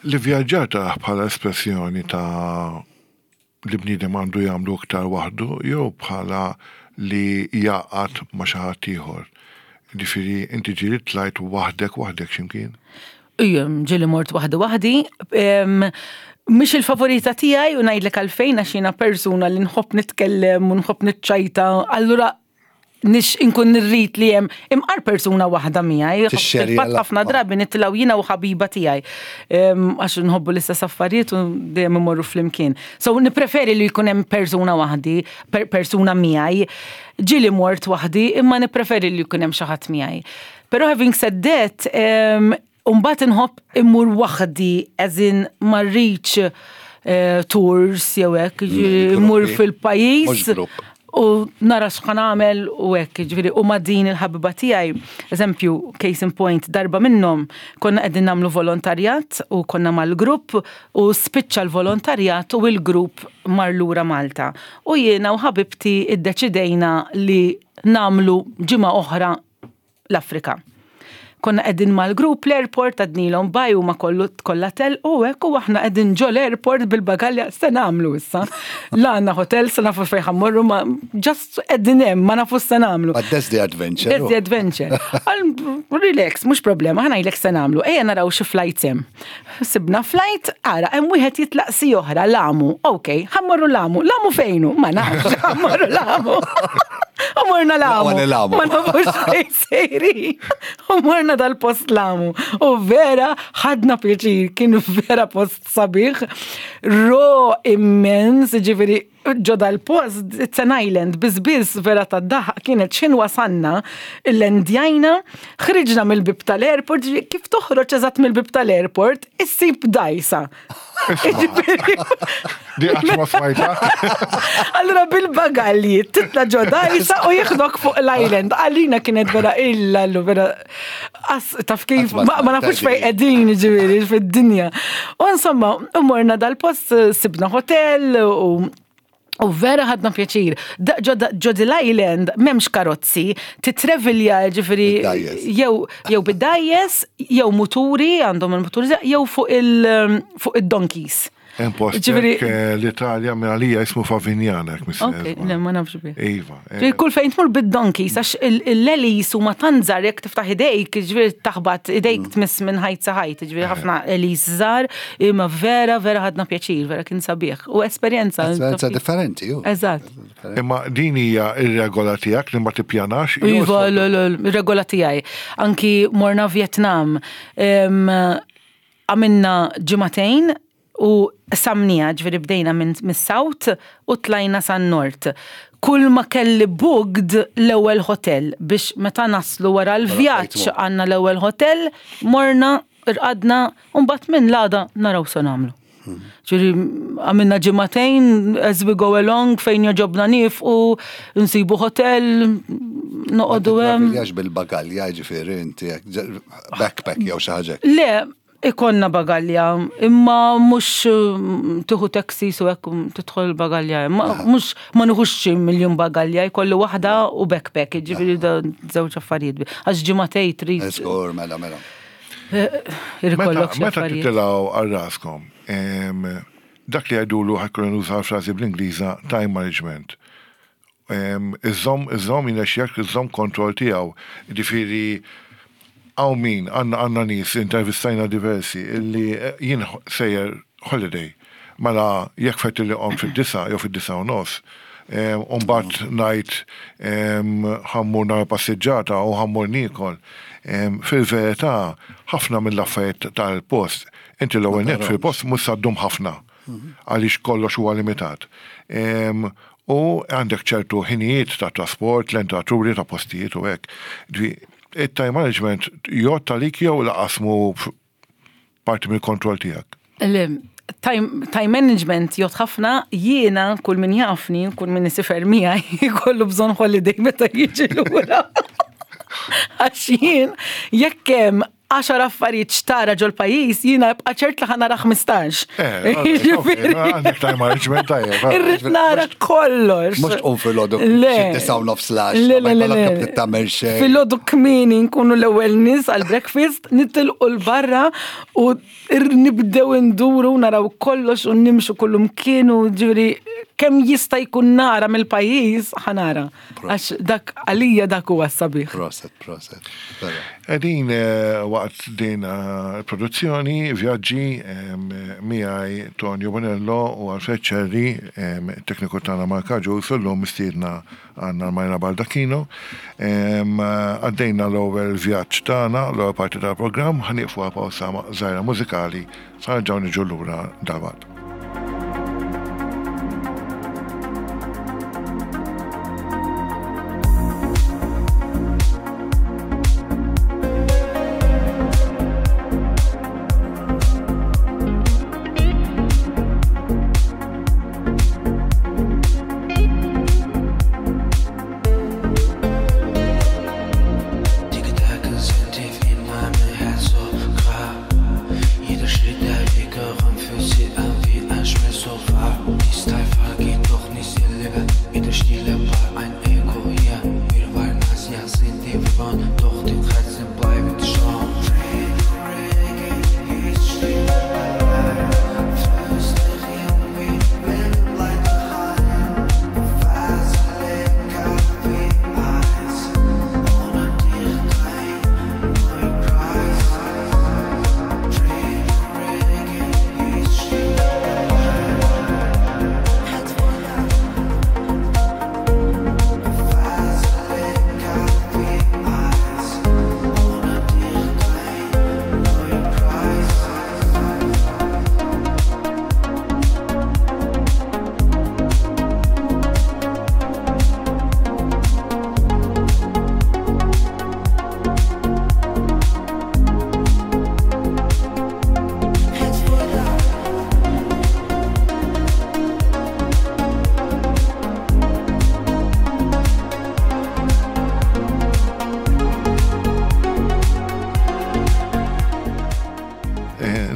Li vjaġġar taraħ bħala espressjoni ta' li bniedem għandu jagħmlu iktar waħdu jew bħala li jgħaqqad ma' xi ħadd ieħor. Jiġifieri inti ġieli tlajt waħdek waħdek xi mkien? Ija, ġieli mort waħdi waħdi. Mhix il-favorita tiegħi u ngħidlek għalfejn għax jiena persuna li nħobb nitkellem u nħobb niċċajta. Allura nix inkun nirrid li hemm imqar persuna waħda miegħi. Fil-fatt ħafna drabi nitilgħu jiena u ħabiba tiegħi. Għax nħobbu l-istess affarijiet u dejjem imorru flimkien. So nippreferi li jkun hemm persuna waħdi, persuna miegħi. Ġieli mort waħdi imma nippreferi li jkun hemm xi ħadd miegħi. Però having said that, Umbagħad inħobb immur waħdi as in ma rridx eh, tours jew hekk, mm, immur fil-pajjiż u nara x'ħa nagħmel u hekk, ġifieri u ma' din il-ħabiba tiegħi, eżempju, case in point, darba minnhom konna qegħdin nagħmlu volontarjat u konna mal-grupp u spiċċa l-volontarjat u l-grupp mar lura Malta. U jiena u ħabibti iddeċidejna li nagħmlu ġimgħa oħra l-Afrika. Konna qegħdin mal-grupp l-airport għadnilhom baj huma kollu kollha telqu hekk u aħna qegħdin ġo l-airport bil-bagalja se nagħmlu issa. La għandna hotel se nafu fejn ħammorru ma just qegħdin hemm ma nafu se nagħmlu. But that's the adventure. That's the adventure. Relax, mhux problema, ħa ngħidlek se nagħmlu. Ejja naraw xi flights hemm. Sibna flight, ara, hemm wieħed jitlaq si oħra, Lamu. Ok, ħammorru Lamu. Lamu fejnu? Ma nafx, ħammorru Lamu. U morna Lamu. Ma nafux fejn sejri. U morna dal-post Lamu. U vera ħadna pjaċir, kien vera post sabiħ. Ro immens, ġifieri ġo dal-post, it's an island, bizbiz vera ta' daħ, kienet xin wasanna, il-lendjajna, ħriġna mill-bib tal-airport, kif toħroġ eżatt mill-bib tal-airport, issib dajsa. Di għax ma smajta. Allora bil-bagalji, titla ġo dajsa u jieħdok fuq l-island. Għalina kienet vera illa, vera taf kif, ma nafux fej qegħdin ġifieri fid-dinja. U insomma, morna dal-post sibna hotel u U vera ħadna pjaċir. Ġo l-island m'hemmx karozzi, titrevilja ġifieri jew jew bid-dajjes, jew muturi għandhom il-muturi jew fuq il-donkeys. Hemm post eh, l-Italja minn għalija jismu Favignana. Ok, le ma nafx bih. Iva. Eh. Kull fejn tmur bid-donkeys għax l-elis huma tant żgħar jekk tiftaħ idejk, ġifieri taħbat idejk mm. tmiss minn ħajt sa ħajt, ġifieri eh. ħafna elis żgħar, imma vera vera ħadna pjaċir, vera kien sabiħ. U esperjenza. Esperjenza differenti, ju. Eżatt. Imma din hija ir-regola tiegħek li ma tippjanax. Iva, regola tiegħi. Anki morna Vietnam. Għamilna ġimagħtejn u samnija, ġifieri bdejna minn mis-south u tlajna san-nord. Kull ma kelli booked l-ewwel hotel biex meta naslu wara l-vjaġġ għandna l-ewwel hotel, morna, rqadna, u mbagħad minn l-għada naraw se nagħmlu. Ġifieri għamilna ġimagħtejn as we go along fejn joġobna niefqu, nsibu hotel, noqogħdu hemm. Ma bil-bagalja ġifieri inti backpack jew xi ħaġa. Le, ikonna bagalja, imma mhux mm, tieħu taxi su hekk tidħol bagalja, mhux ma nieħux xi miljun bagalja, jkollu waħda u backpack, ġifieri da żewġ affarijiet. Għax ġimagħtej trid. Żgur, mela, mela. Irkollok xi Meta affarijiet. titilgħu għal raskom, em, dak li jgħidulu ħajkun nuża frażi bl-Ingliża time management. Em, Iżomm, iżomm jinexxek, iżomm kontroll tiegħu. Ġifieri hawn min għandna għandna nies intervistajna diversi illi eh, jien sejjer holiday. Mela jekk fett li qom fid-disa jew fid-disa u nofs, u mbagħad ngħid ħa mmur nara passiġġata u ħa mmur niekol. Fil-verità ħafna mill-affarijiet tal-post, inti l-ewwel nett fil-post mhux sa ddum ħafna għaliex kollox huwa limitat. U għandek ċertu ħinijiet ta' trasport, l-entraturi ta' postijiet u hekk. It-time management jgħodd għalik jew laqas mhu parti mill-kontroll tiegħek? Le, time, time management jgħod ħafna, jiena kull min jafni, kull min isifer miegħi, jkollu bżonn holiday meta jiġi lura. Għax jien, jekk hemm għaxar affarijiet xtara ġol pajjiż, jiena ibqa' ċert li ħanara 15. Eh, għandek time management tajjeb. Eh. Irrid nara kollox. Mhux tqum filgħodu Le. xi nofs lax. Le, le, le, le. Tagħmel xejn. Filgħodu kmieni nkunu l-ewwel nies għall-breakfast, nitilqu l-barra u nibdew induru naraw kollox u nimxu kullum kienu ġifieri kemm jista' jkun nara mill-pajjiż ħa nara. Għax dak għalija dak huwa s-sabiħ. Proset, proset. Qegħdin eh, waqt din eh, produzzjoni, vjaġġi miegħi Tonio Bonello u Alfred Ċerri, tekniku tagħna Mark Agius, u llum mistiedna għandna Majra Baldacchino. Għaddejna l-ewwel vjaġġ tagħna, l-ewwel parti tal-programm, ħa nieqfu għal pawsa żgħira mużikali sa nerġgħu niġu lura dalwaqt.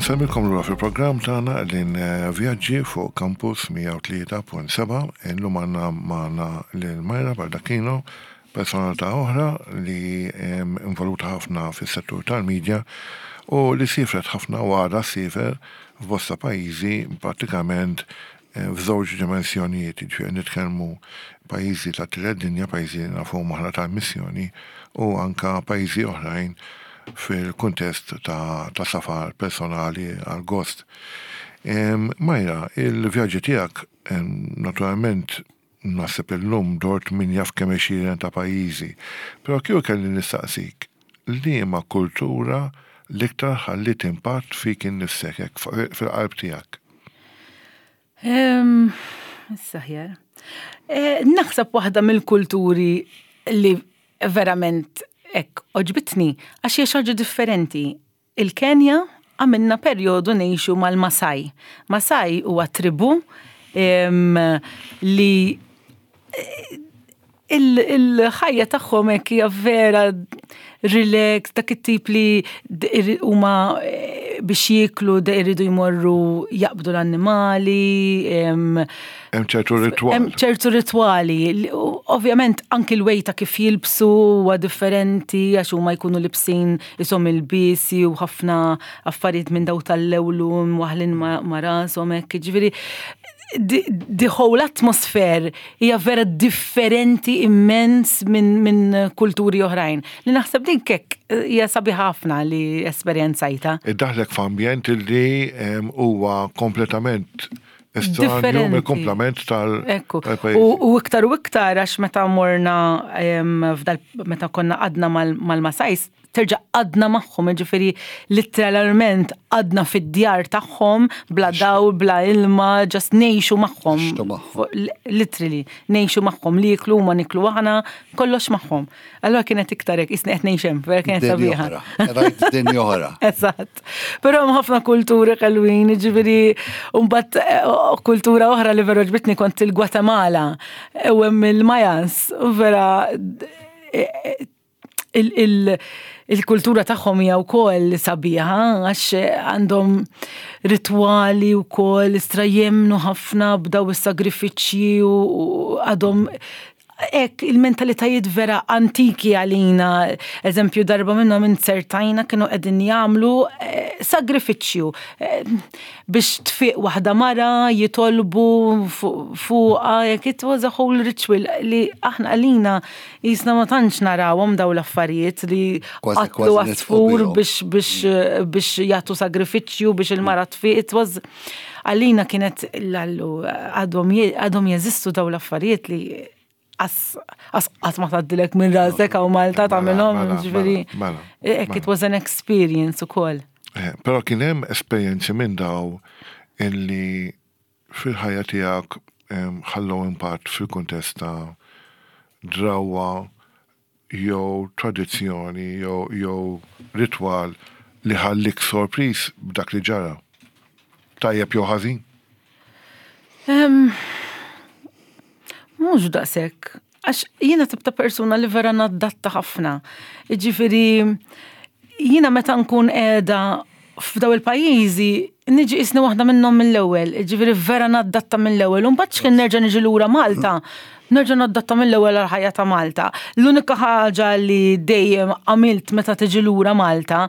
Nsellmilkom lura fil-programm tagħna qegħdin eh, vjaġġi fuq Campus 103.7 illum għandna magħna lil Majra Baldacchino, personalità oħra li involuta ħafna fis-settur tal-media u li siefret ħafna u għadha ssiefer f'bosta pajjiżi prattikament f'żewġ dimensjonijiet, jiġifieri nitkellmu pajjiżi tat-tielet dinja, pajjiżi li nafuhom aħna tal-missjoni u anke pajjiżi oħrajn fil-kuntest ta' safar personali għall-gost. Majra, il-vjaġġi tiegħek naturalment naħseb illum dort min jaf kemm għexieren ta' pajjiżi, però kieku kelli nistaqsik, liema kultura l-iktar ħalliet impatt fik innifsek, hekk fil-qalb tiegħek? Issa ħjar. Eh, naħseb waħda mill-kulturi li verament hekk oġbitni għax hija xi ħaġa differenti. Il-Kenja għamilna perjodu ngħixu mal-Masai. Masai huwa tribu li il-ħajja tagħhom hekk hija vera relax, dak it-tip li huma eh, biex jieklu iridu jmorru jaqbdu l-annimali. Hemm ċertu ritwali. Hemm ċertu ritwali. Ovvjament anki l-way ta' kif jilbsu huwa differenti għax huma jkunu libsin ishom il-bisi u ħafna affarijiet minn daw tal-lewlu mwaħlin ma' rashom hekk. Ġifieri the whole atmosphere hija vera differenti immens minn min kulturi oħrajn. Li naħseb din kek eh, hija sabiħa ħafna li esperjenzajta. Iddaħlek f'ambjent li huwa kompletament estranju mill-kumplament tal Ekku. U iktar u iktar għax meta morna f'dal meta konna għadna mal-Masajs terġa' qgħadna magħhom, jiġifieri litteralment qgħadna fid-djar tagħhom bla dawl, bla ilma, just ngħixu magħhom. Literally, ngħixu magħhom li jiklu huma niklu aħna, kollox magħhom. Allura kienet iktar hekk, isni qed ngħix hemm, vera kienet sabiħa. Rajt dinja oħra. Eżatt. Però hemm ħafna kulturi ħelwin, jiġifieri mbagħad eh, kultura oħra li vera ġbitni kont il-Gwatemala u hemm il-Mayans, vera eh, il-kultura tagħhom hija wkoll sabiħa għax għandhom ritwali wkoll istra jemmnu ħafna b'daw is-sagrifiċċji u għadhom Hekk il-mentalitajiet vera antiki għalina, eżempju darba minnhom inzertajna kienu qegħdin jagħmlu eh, sagrifiċċju eh, biex tfiq waħda mara jitolbu fuqha, jekk it was a whole ritual li aħna għalina jisna ma tantx narawhom daw l-affarijiet li qatlu għasfur biex biex biex jagħtu sagrifiċċju biex il-mara tfiq, it was Għalina kienet l-allu għadhom jeżistu daw l-affarijiet li qatt ma tgħaddilek minn rasek hawn Malta mela, tagħmilhom, mela, ġifieri. Mela, hekk it was an experience ukoll. Eh, però kien hemm esperjenzi minn daw illi fil-ħajja tiegħek ħallew impatt fil-kuntest ta' drawwa jew tradizzjoni jew jew ritwal li ħallik sorpriż b'dak li ġara? Tajjeb jew ħażin? Mhux daqshekk. Għax jiena tip ta' persuna li vera naddatta ħafna. Jiġifieri jiena meta nkun qiegħda f'daw il-pajjiżi niġi isni waħda minnhom mill-ewwel, ġifieri vera naddatta mill-ewwel, u mbagħad x'kien nerġa' niġi lura Malta, nerġa' naddatta mill-ewwel għall-ħajja ta' Malta. L-unika ħaġa li dejjem għamilt meta tiġi lura Malta,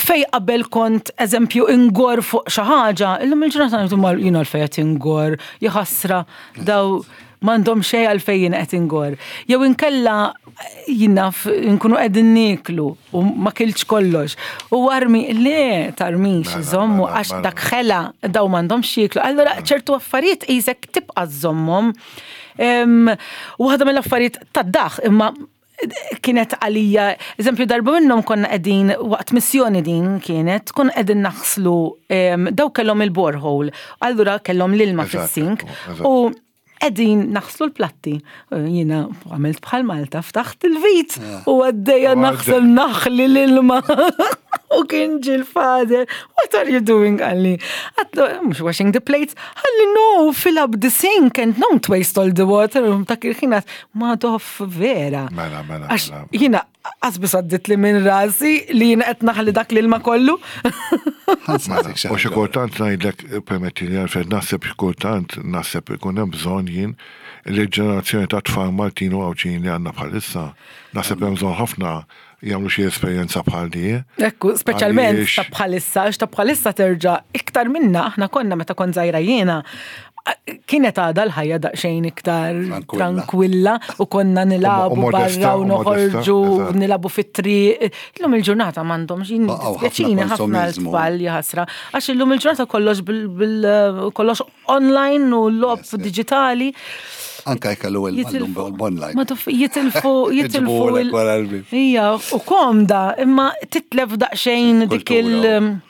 fej qabel kont eżempju ingor fuq xi ħaġa, illum il-ġurnata ngħidu mal jiena l qed ingor, jaħasra daw m'għandhom xejn għalfejn jien qed ingorr. Jew inkella jien naf nkunu qegħdin nieklu u ma kiltx kollox. U armi le tarmix mela, żommu mela, għax mela. dak ħela daw m'għandhomx jieklu. Allura ċertu affarijiet qisek tibqa' żommhom. Waħda mill-affarijiet tad-daħ imma kienet għalija, eżempju darba minnhom konna qegħdin waqt missjoni din kienet, konna qegħdin naħslu daw kellhom il-borehole, allura kellhom l-ilma fis-sink u qegħdin naħslu l-platti. Jiena għamilt bħal Malta, ftaħt il-vit u għaddejja naħsel naħli l-ilma. U kien ġil father, what are you doing għalli? Għatlu, mux washing the plates, għalli no, fill up the sink and don't waste all the water. Ta' kien Madoff vera. Mela, mela. Għax mela. jiena qasbis għaddit li minn rasi li jiena qed naħli dak l-ilma kollu. Mela, u xi kultant ngħidlek permetti li Alfred naħseb xi kultant naħseb ikun hemm bżonn jien li l-ġenerazzjoni ta' tfal Maltin u Għawdxin li għandna bħalissa naħseb hemm bżonn ħafna jagħmlu xi esperjenza bħal di. Ekku, speċjalment ta' bħalissa, għax ta' bħalissa terġa' iktar minna aħna konna meta kont żgħira jiena kienet għadha l-ħajja daqsxejn iktar tranquilla u konna nilabu barra u noħorġu nilabu fit-triq. Illum il-ġurnata m'għandhomx jien ħafna l-tfal jaħasra. Għax illum il-ġurnata kollox bil kollox online u l-logħob digitali. Anka jkellu il-online. Ma tuf jitilfu jitilfu. Ija, u komda, imma titlef daqsxejn dik il-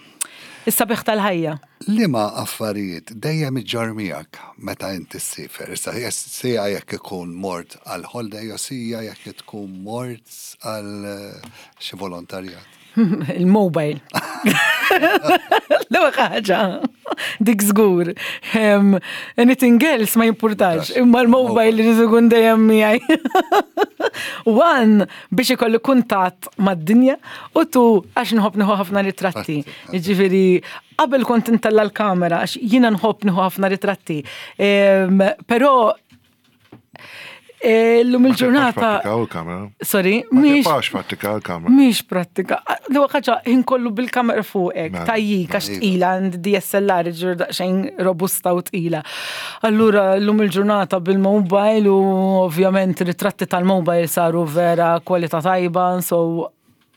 Is-sabiħ tal-ħajja. Liema affarijiet dejjem iġġorr miegħek meta inti ssifer? Issa sija jekk ikun mort għal holiday jew sija jekk tkun mort għal xi volontarjat. Il-mobile. L-ewwel ħaġa. Dik żgur. Anything else ma jimpurtax, imma l-mobile li ikun dejjem miegħi. One biex ikolli kuntatt mad-dinja u tu għax nħobb nieħu ħafna ritratti. Jiġifieri qabel kont intella l-kamera għax jiena nħobb nieħu ħafna ritratti. Però eh, Illum il-ġurnata. Sorry, mhix. Mhix prattika l-kamera. Mhix prattika. L-ewwel ħaġa ħin kollu bil-kamera fuqek, mela, tajjik għax mela. tqila għand DSLR ġur daqsxejn robusta u tqila. Allura llum il-ġurnata bil-mobile u ovvjament ritratti tal-mobile saru vera kwalità tajba, so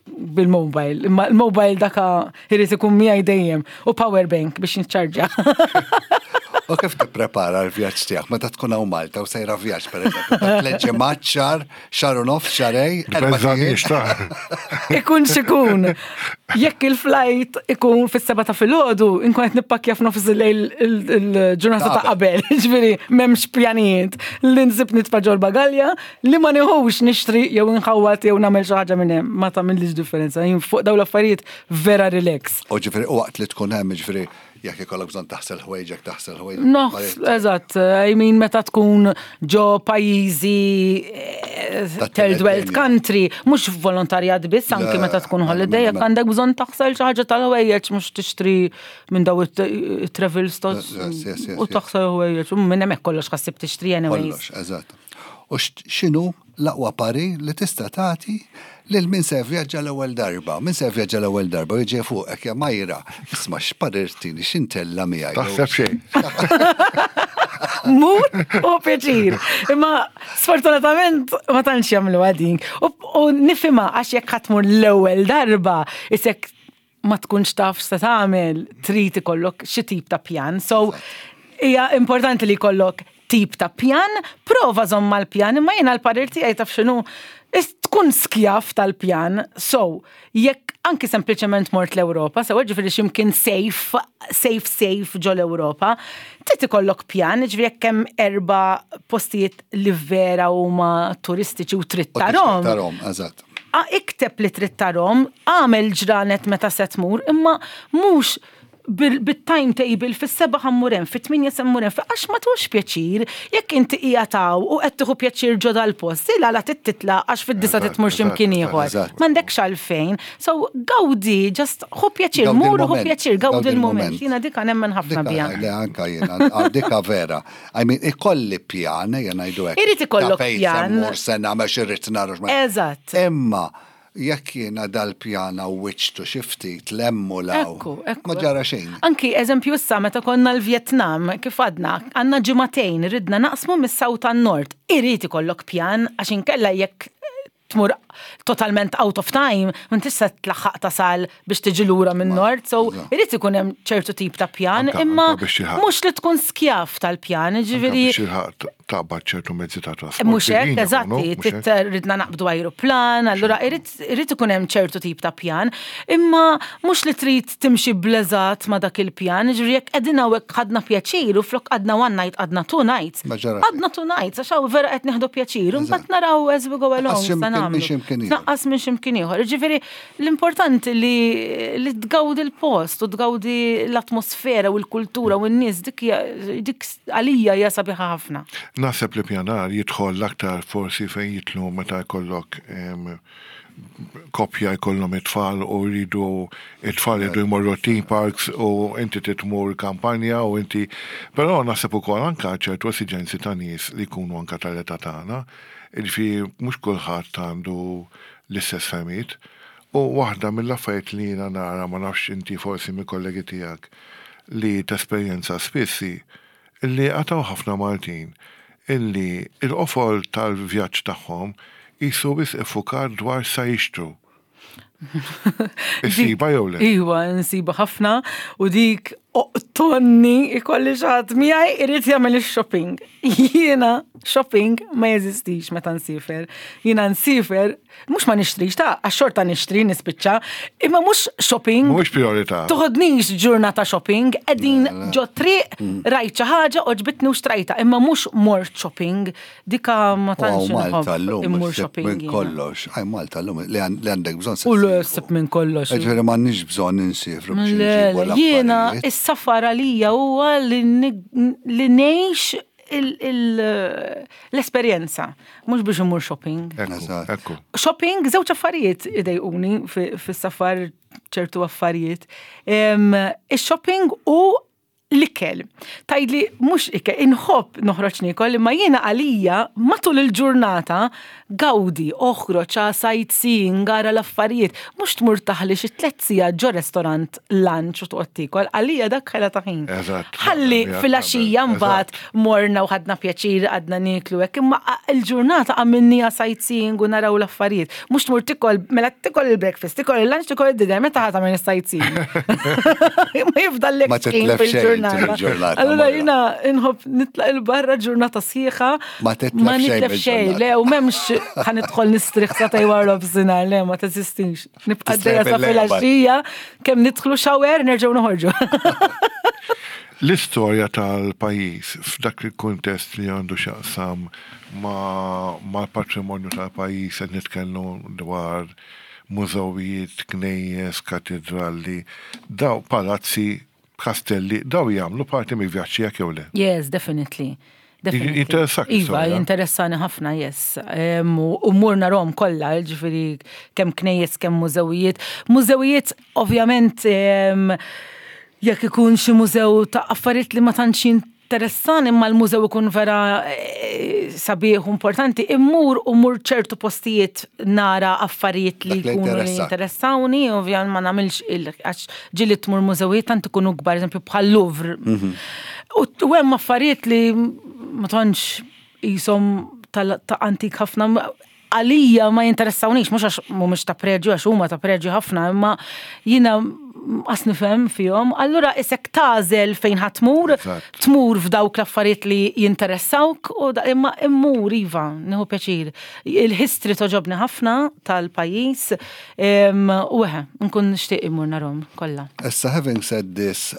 bil-mobile. Imma l-mobile daka irid ikun miegħi dejjem u power bank biex niċċarġa. U kif tipprepara l-vjaġġ tiegħek meta tkun hawn Malta u sejra vjaġġ pereżempju ta' tliet ġimgħat xahar, xahar u nofs, xahrejn, Ikun xikun. Jekk il-flight ikun fis-seba ta' filgħodu, inkun qed nippakkja f'nofs il-lejl il-ġurnata ta' qabel. Ġifieri m'hemmx pjanijiet li nsib nitfa' ġol bagalja li ma nieħux nixtri jew inħawwad jew nagħmel xi ħaġa minn hemm, ma tagħmillix differenza. Jien fuq dawn l-affarijiet vera relax. U ġifieri u waqt li tkun hemm ġifieri jekk ikollok bżonn taħsel ħwejġek taħsel ħwejġek. Noħs, eżatt, I mean meta tkun ġo pajjiżi eh, third world country, mhux volontarjat biss anki meta tkun holiday, jekk għandek bżonn taħsel xi ħaġa tal-ħwejjeġ mhux tixtri minn daw it-travel stores u taħsel ħwejjeġ, minn hemmhekk kollox ħassib tixtri anyways. Kollox, eżatt. U x'inhu l-aqwa parir li tista' tagħti lil min se jivvjaġġa l-ewwel darba? Min se jivvjaġġa l-ewwel darba u jiġi fuqek ja Majra, isma' x'parir tini, x'intella miegħi? Taħseb xejn. Mur u pjaċir. Imma sfortunatament ma tantx jagħmlu din. U nifhimha għax jekk ħadd tmur l-ewwel darba, isek ma tkunx taf x'se tagħmel, trid ikollok xi tip ta' pjan. So hija importanti li jkollok tip ta' pjan, prova żomm mal-pjan, imma jiena l-parir tiegħi taf x'inhu tkun skjaf tal-pjan. So, jekk anki sempliċement mort l-Ewropa, sewa ġifieri x'imkien safe, safe, safe ġo l-Ewropa, trid ikollok pjan, ġifieri jekk hemm erba' postijiet li vera huma turistiċi u trid tarhom. Tarhom, eżatt. Ikteb li trid tarhom, agħmel ġranet meta se tmur, imma mhux bit-timetable fis-seba' ħa mmur hemm, fit-tmienja se mmur hemm, għax ma tieħux pjaċir jekk inti qiegħed hawn u qed tieħu pjaċir ġo dal-post, il għala trid titlaq għax fid-disgħa trid tmur xi mkien ieħor. M'għandekx għalfejn. So gawdi, just ħu pjaċir, mur u ħu pjaċir, gawdi l-mument. Jiena dika nemmen ħafna biha. Le anka jiena, dika vera. I mean, ikolli pjan, ejja ngħidu hekk. Irid ikollok pjan. Mur se nagħmel xi nara. Eżatt. Imma jekk jiena dal-pjan għawwiġtu xi ftit lemmu law. Ekku, ekku. Ma ġara xejn. Anki eżempju issa meta konna l-Vjetnam, kif għadna, għandna ġimagħtejn ridna naqsmu mis-South għan-Nord. Irid ikollok pjan għax inkella jekk tmur totalment out of time, ma tista' tlaħħaq tasal biex tiġi lura minn nord, so irid ikun hemm ċertu tip ta' pjan, imma mhux li tkun skjav tal-pjan, ġifieri. Biex taqbad ċertu mezzi ta' trasport. Mhux hekk, eżatti, ridna naqbdu ajruplan, allura irid ikun hemm ċertu tip ta' pjan, imma mhux li trid timxi bleżat ma' dak il-pjan, ġifieri jekk qegħdin hawnhekk ħadna pjaċir u flok għadna one night għadna two nights. Għadna two nights, għax hawn vera qed nieħdu pjaċir, u mbagħad naraw as we go along. Tnaqqas minn x'imkien ieħor. Ġifieri l-importanti li li tgawdi l-post u tgawdi l-atmosfera u l-kultura u n-nies dik dik għalija hija sabiħa ħafna. Naħseb li pjanar jidħol l-aktar forsi fejn jidħlu meta jkollok koppja jkollhom it-tfal u jridu it-tfal jridu jmorru theme parks u inti trid tmur kampanja u inti però naħseb ukoll anke ċertu esiġenzi ta' nies li jkunu anke tal-età tagħna, jiġifieri mhux kulħadd għandu l-istess fehmiet. U waħda mill-affarijiet li jiena nara ma nafx inti forsi mill-kollegi tiegħek li tesperjenza spiss hi Illi għad hawn ħafna Maltin illi l-qofol tal-vjaġġ tagħhom qisu wisq iffukat dwar x'sa jixtru. Issibha jew le? Iwa, nsibha ħafna u dik oqtonni ikolli xi ħadd miegħi irid jagħmel ix-shopping. Jiena shopping ma jeżistix meta nsiefer. Jiena nsiefer Mhux ma nixtrix, ta' għax xorta nixtri nispiċċa, imma mhux shopping. Mhux priorità. Toħodnix ġurnata shopping, qegħdin ġo triq mm. rajt xi ħaġa oġbitni u xtrajta, imma mhux mort shopping, dika ma tantx Malta llum immur shopping. Minn kollox, għaj Malta llum li għandek bżonn. U l-sib minn kollox. Ġifieri m'għandniex bżonn insifru. Jiena is-safar għalija huwa li ngħix l-esperjenza, mhux biex imur shopping. Shopping, żewġ affarijiet idejquni fis-safar ċertu affarijiet. Ix-shopping u l-ikel. Tajdli mhux ikel, inħobb noħroġ niekol, imma jiena għalija matul il-ġurnata gawdi, oħroġ sightseeing, ara l-affarijiet, mhux tmur taħli xi tliet sigħat ġo restorant lunch u toqgħod tiekol, għalija dak ħela ta' ħin. Ħalli filgħaxija mbagħad morna u ħadna pjaċir għadna nieklu hekk, imma il-ġurnata għamilniha sightseeing u naraw l-affarijiet. Mhux tmur tikol, mela tikol il-breakfast, tikol il-lunch, tikol il-dinner, meta ħa tagħmel is-sightseeing. Ma jifdallek xejn fil-ġurnata. Allura jiena nħobb nitlaq il-barra ġurnata sħiħa. Ma titlef xejn, le, u m'hemmx ħa nidħol nistrieħ sa tajwar nofsinhar, le, ma teżistix. Nibqa' dejja sa filgħaxija, kemm nidħlu shower nerġgħu noħorġu. L-istorja tal-pajjiż f'dak il-kuntest li għandu x'jaqsam mal-patrimonju tal-pajjiż qed nitkellmu dwar mużewijiet, knejjes, katidrali, daw palazzi Kastelli, daw jagħmlu parti mill-vjaġġ tiegħek jew le? Yes, definitely. Definitely. Jinteressak Iva, jinteressani ħafna, yes. U mmur narahom kollha, ġifieri kemm knejjes, kemm mużewijiet. Mużewijiet, ovvjament, jekk ikun xi mużew ta' affarijiet li ma tantx jinteressani imma l-mużew ikun vera eh, sabiħ u importanti, immur u mur ċertu postijiet nara affarijiet li jkunu li jinteressawni, ovvjament ma nagħmilx il għax ġieli tmur mużewijiet tant ikunu kbar, eżempju bħal Louvre. Mhm. U hemm affarijiet li ma tantx qishom ta' antik ħafna għalija ma jinteressawnix, mhux għax mhumiex ta' preġju, għax huma ta' preġju ħafna, imma jiena qas nifhem fihom, allura isek tagħżel fejn ħa tmur, tmur f'dawk l-affarijiet li jinteressawk, u imma immur iva, nieħu pjaċir. Il-history toġobni ħafna tal-pajjiż, u eħe, nkun nixtieq immur narhom kollha. Issa having said this,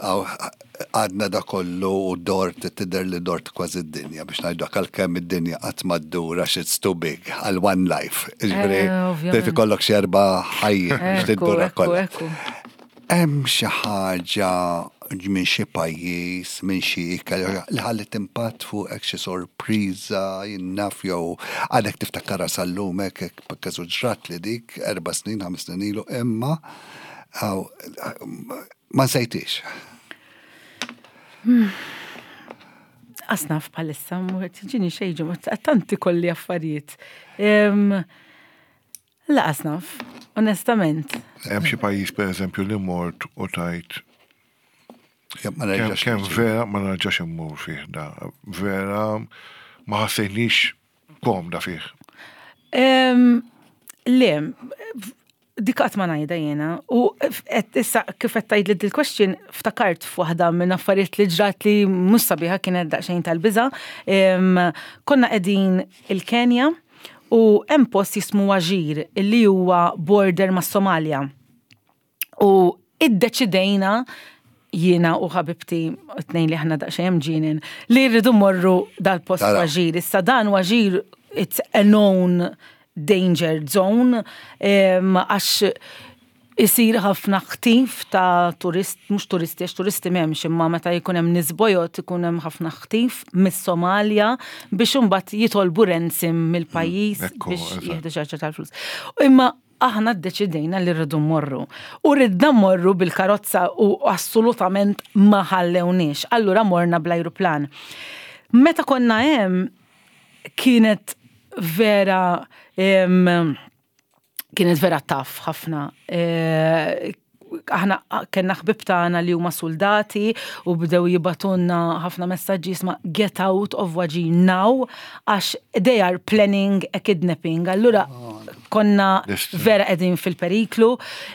Għadna da kollu u dort, tidher li dort kważi d-dinja biex ngħidu hekk għalkemm id-dinja qatt ma ddur għax it's too big għal one life. Jiġifieri trid ikollok xi erba' ħajjiet biex tiddurha kollha. Hemm xi ħaġa minn xi pajjiż, minn xi ikel li ħalliet impatt fuqek xi sorpriża, jien naf jew għadek tiftakarha sal-lum hekk hekk ġrat li dik erba' snin, ħames snin ilu imma Ma nsejtix. Asnaf bħalissa, ġini xejġu, tanti kolli affarijiet. La asnaf, onestament. Hemm xi pajjiż pereżempju li mort u tajt Kemm vera ma nerġax immur fih da. Vera ma ħassejnix komda fih. Le, Dik qatt ma ngħidha jiena. U issa kif qed tgħidli dil-question ftakart f'waħda minn affarijiet li ġrat li mhux sabiħa kienet daqsxejn tal-biża'. Konna qegħdin il-Kenja u hemm post jismu Wajir li huwa border mas-Somalja. U iddeċidejna jiena u ħabibti tnejn li aħna daqsxejn mġinin li rridu morru dal-post Wajir. Issa dan Wajir it's a known danger zone għax isir ħafna ħtif ta' turist, mhux turisti, għax turisti m'hemmx, imma meta jkun hemm nies bojod ikun hemm ħafna ħtif mis-Somalja biex imbagħad jitolbu ransom mill-pajjiż biex jieħdu xi ħaġa tal-flus. Imma aħna ddeċidejna li rridu mmorru. U ridna mmorru bil-karozza u assolutament ma ħallewniex. Allura morna bl-ajruplan. Meta konna hemm kienet vera kienet vera taf ħafna. E, aħna kellna ħbib tagħna li huma soldati u bdew jibatunna ħafna messaġġi jisma' get out of Wajir now għax they are planning a kidnapping. Allura konna vera qegħdin fil-periklu.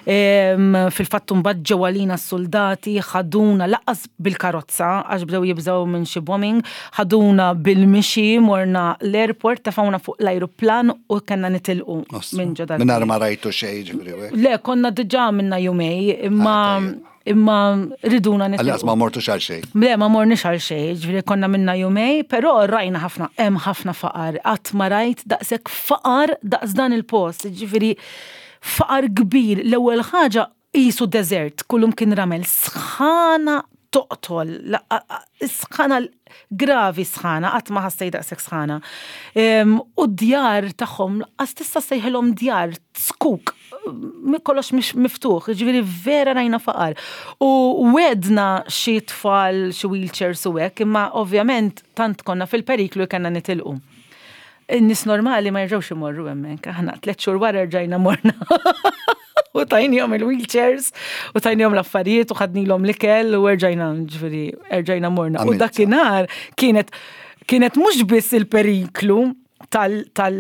Fil-fatt mbagħad ġew għalina s-soldati ħaduna laqqas bil-karozza għax bdew jibżgħu minn xi bombing, ħaduna bil-mixi, morna l-airport, tefgħuna fuq l-ajruplan u kellna nitilqu minn ġo dal. Mingħajr ma rajtu xejn ġifieri. Le, konna diġà minna jumej, imma ah, imma riduna nitilqu. Għallas ma mortux għal xejn. Le, ma morniex għal xejn, ġifieri konna minna jumej, però rajna ħafna, hemm ħafna faqar, qatt ma rajt daqshekk faqar daqs dan il-post, ġifieri faqar kbir. L-ewwel ħaġa Qisu deżert, kullum kien ramel, sħana toqtol, sħana gravi sħana, qatt ma ħassejt daqshekk sħana. U d-djar tagħhom, qas tista' sejħilhom djar, skuk, kollox miftuħ, ġifieri vera rajna faqar. U wedna xi tfal, xi wheelchairs u hekk, imma ovvjament tant konna fil-periklu li kellna nitilqu. In-nies normali ma jerġgħux imorru hemmhekk. Aħna tliet xhur wara rġajna morna. U tajnihom il-wheelchairs, u tajnihom l-affarijiet, u ħadnilhom l-ikel, u erġajna, ġifieri, erġajna morna. U dakinhar kienet kienet mhux biss il-periklu tal tal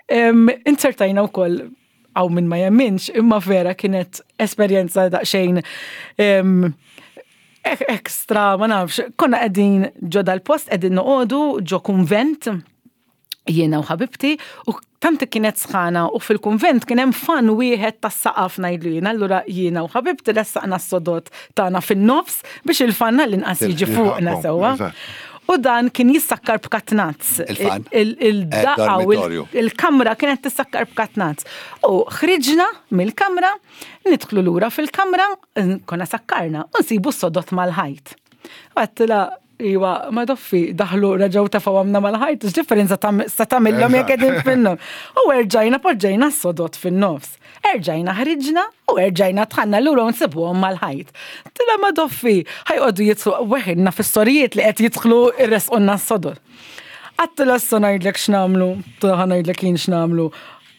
inzertajna wkoll għaw minn ma jemminx, imma vera kienet esperjenza daqsxejn ekstra, ma nafx, konna qegħdin ġo dal-post, qegħdin noqogħdu ġo kunvent, jiena u ħabibti, u tant kienet sħana u fil-kunvent kien hemm fan wieħed tas-saqaf ngħidlu jiena, allura jiena u ħabibti ressaqna s-sodod tagħna fin-nofs biex il-fan għall-inqas jiġi fuqna sewwa. U dan kien jissakkar b'katnazz. Il-fan? Il-daqqa u il-kamra kienet tissakkar b'katnazz. U ħriġna mill-kamra, nidħlu lura fil-kamra, konna sakkarna, u nsibu s-sodot mal-ħajt. Għedtilha, Iwa, ma doffi, daħlu reġgħu tefgħu għamna mal-ħajt, x'differenza sa tagħmilhom jekk qegħdin fin-nofs. U erġajna poġġejna s-sodod fin-nofs. Erġajna ħriġna u erġajna dħalna lura u nsibuhom mal-ħajt. Tila ma doffi, ħajqogħdu jidħlu weħilna fis-sorijiet li qed jidħlu irresqulna s-sodod. Għattila issa ngħidlek x'nagħmlu, ħa ngħidlek jien x'nagħmlu.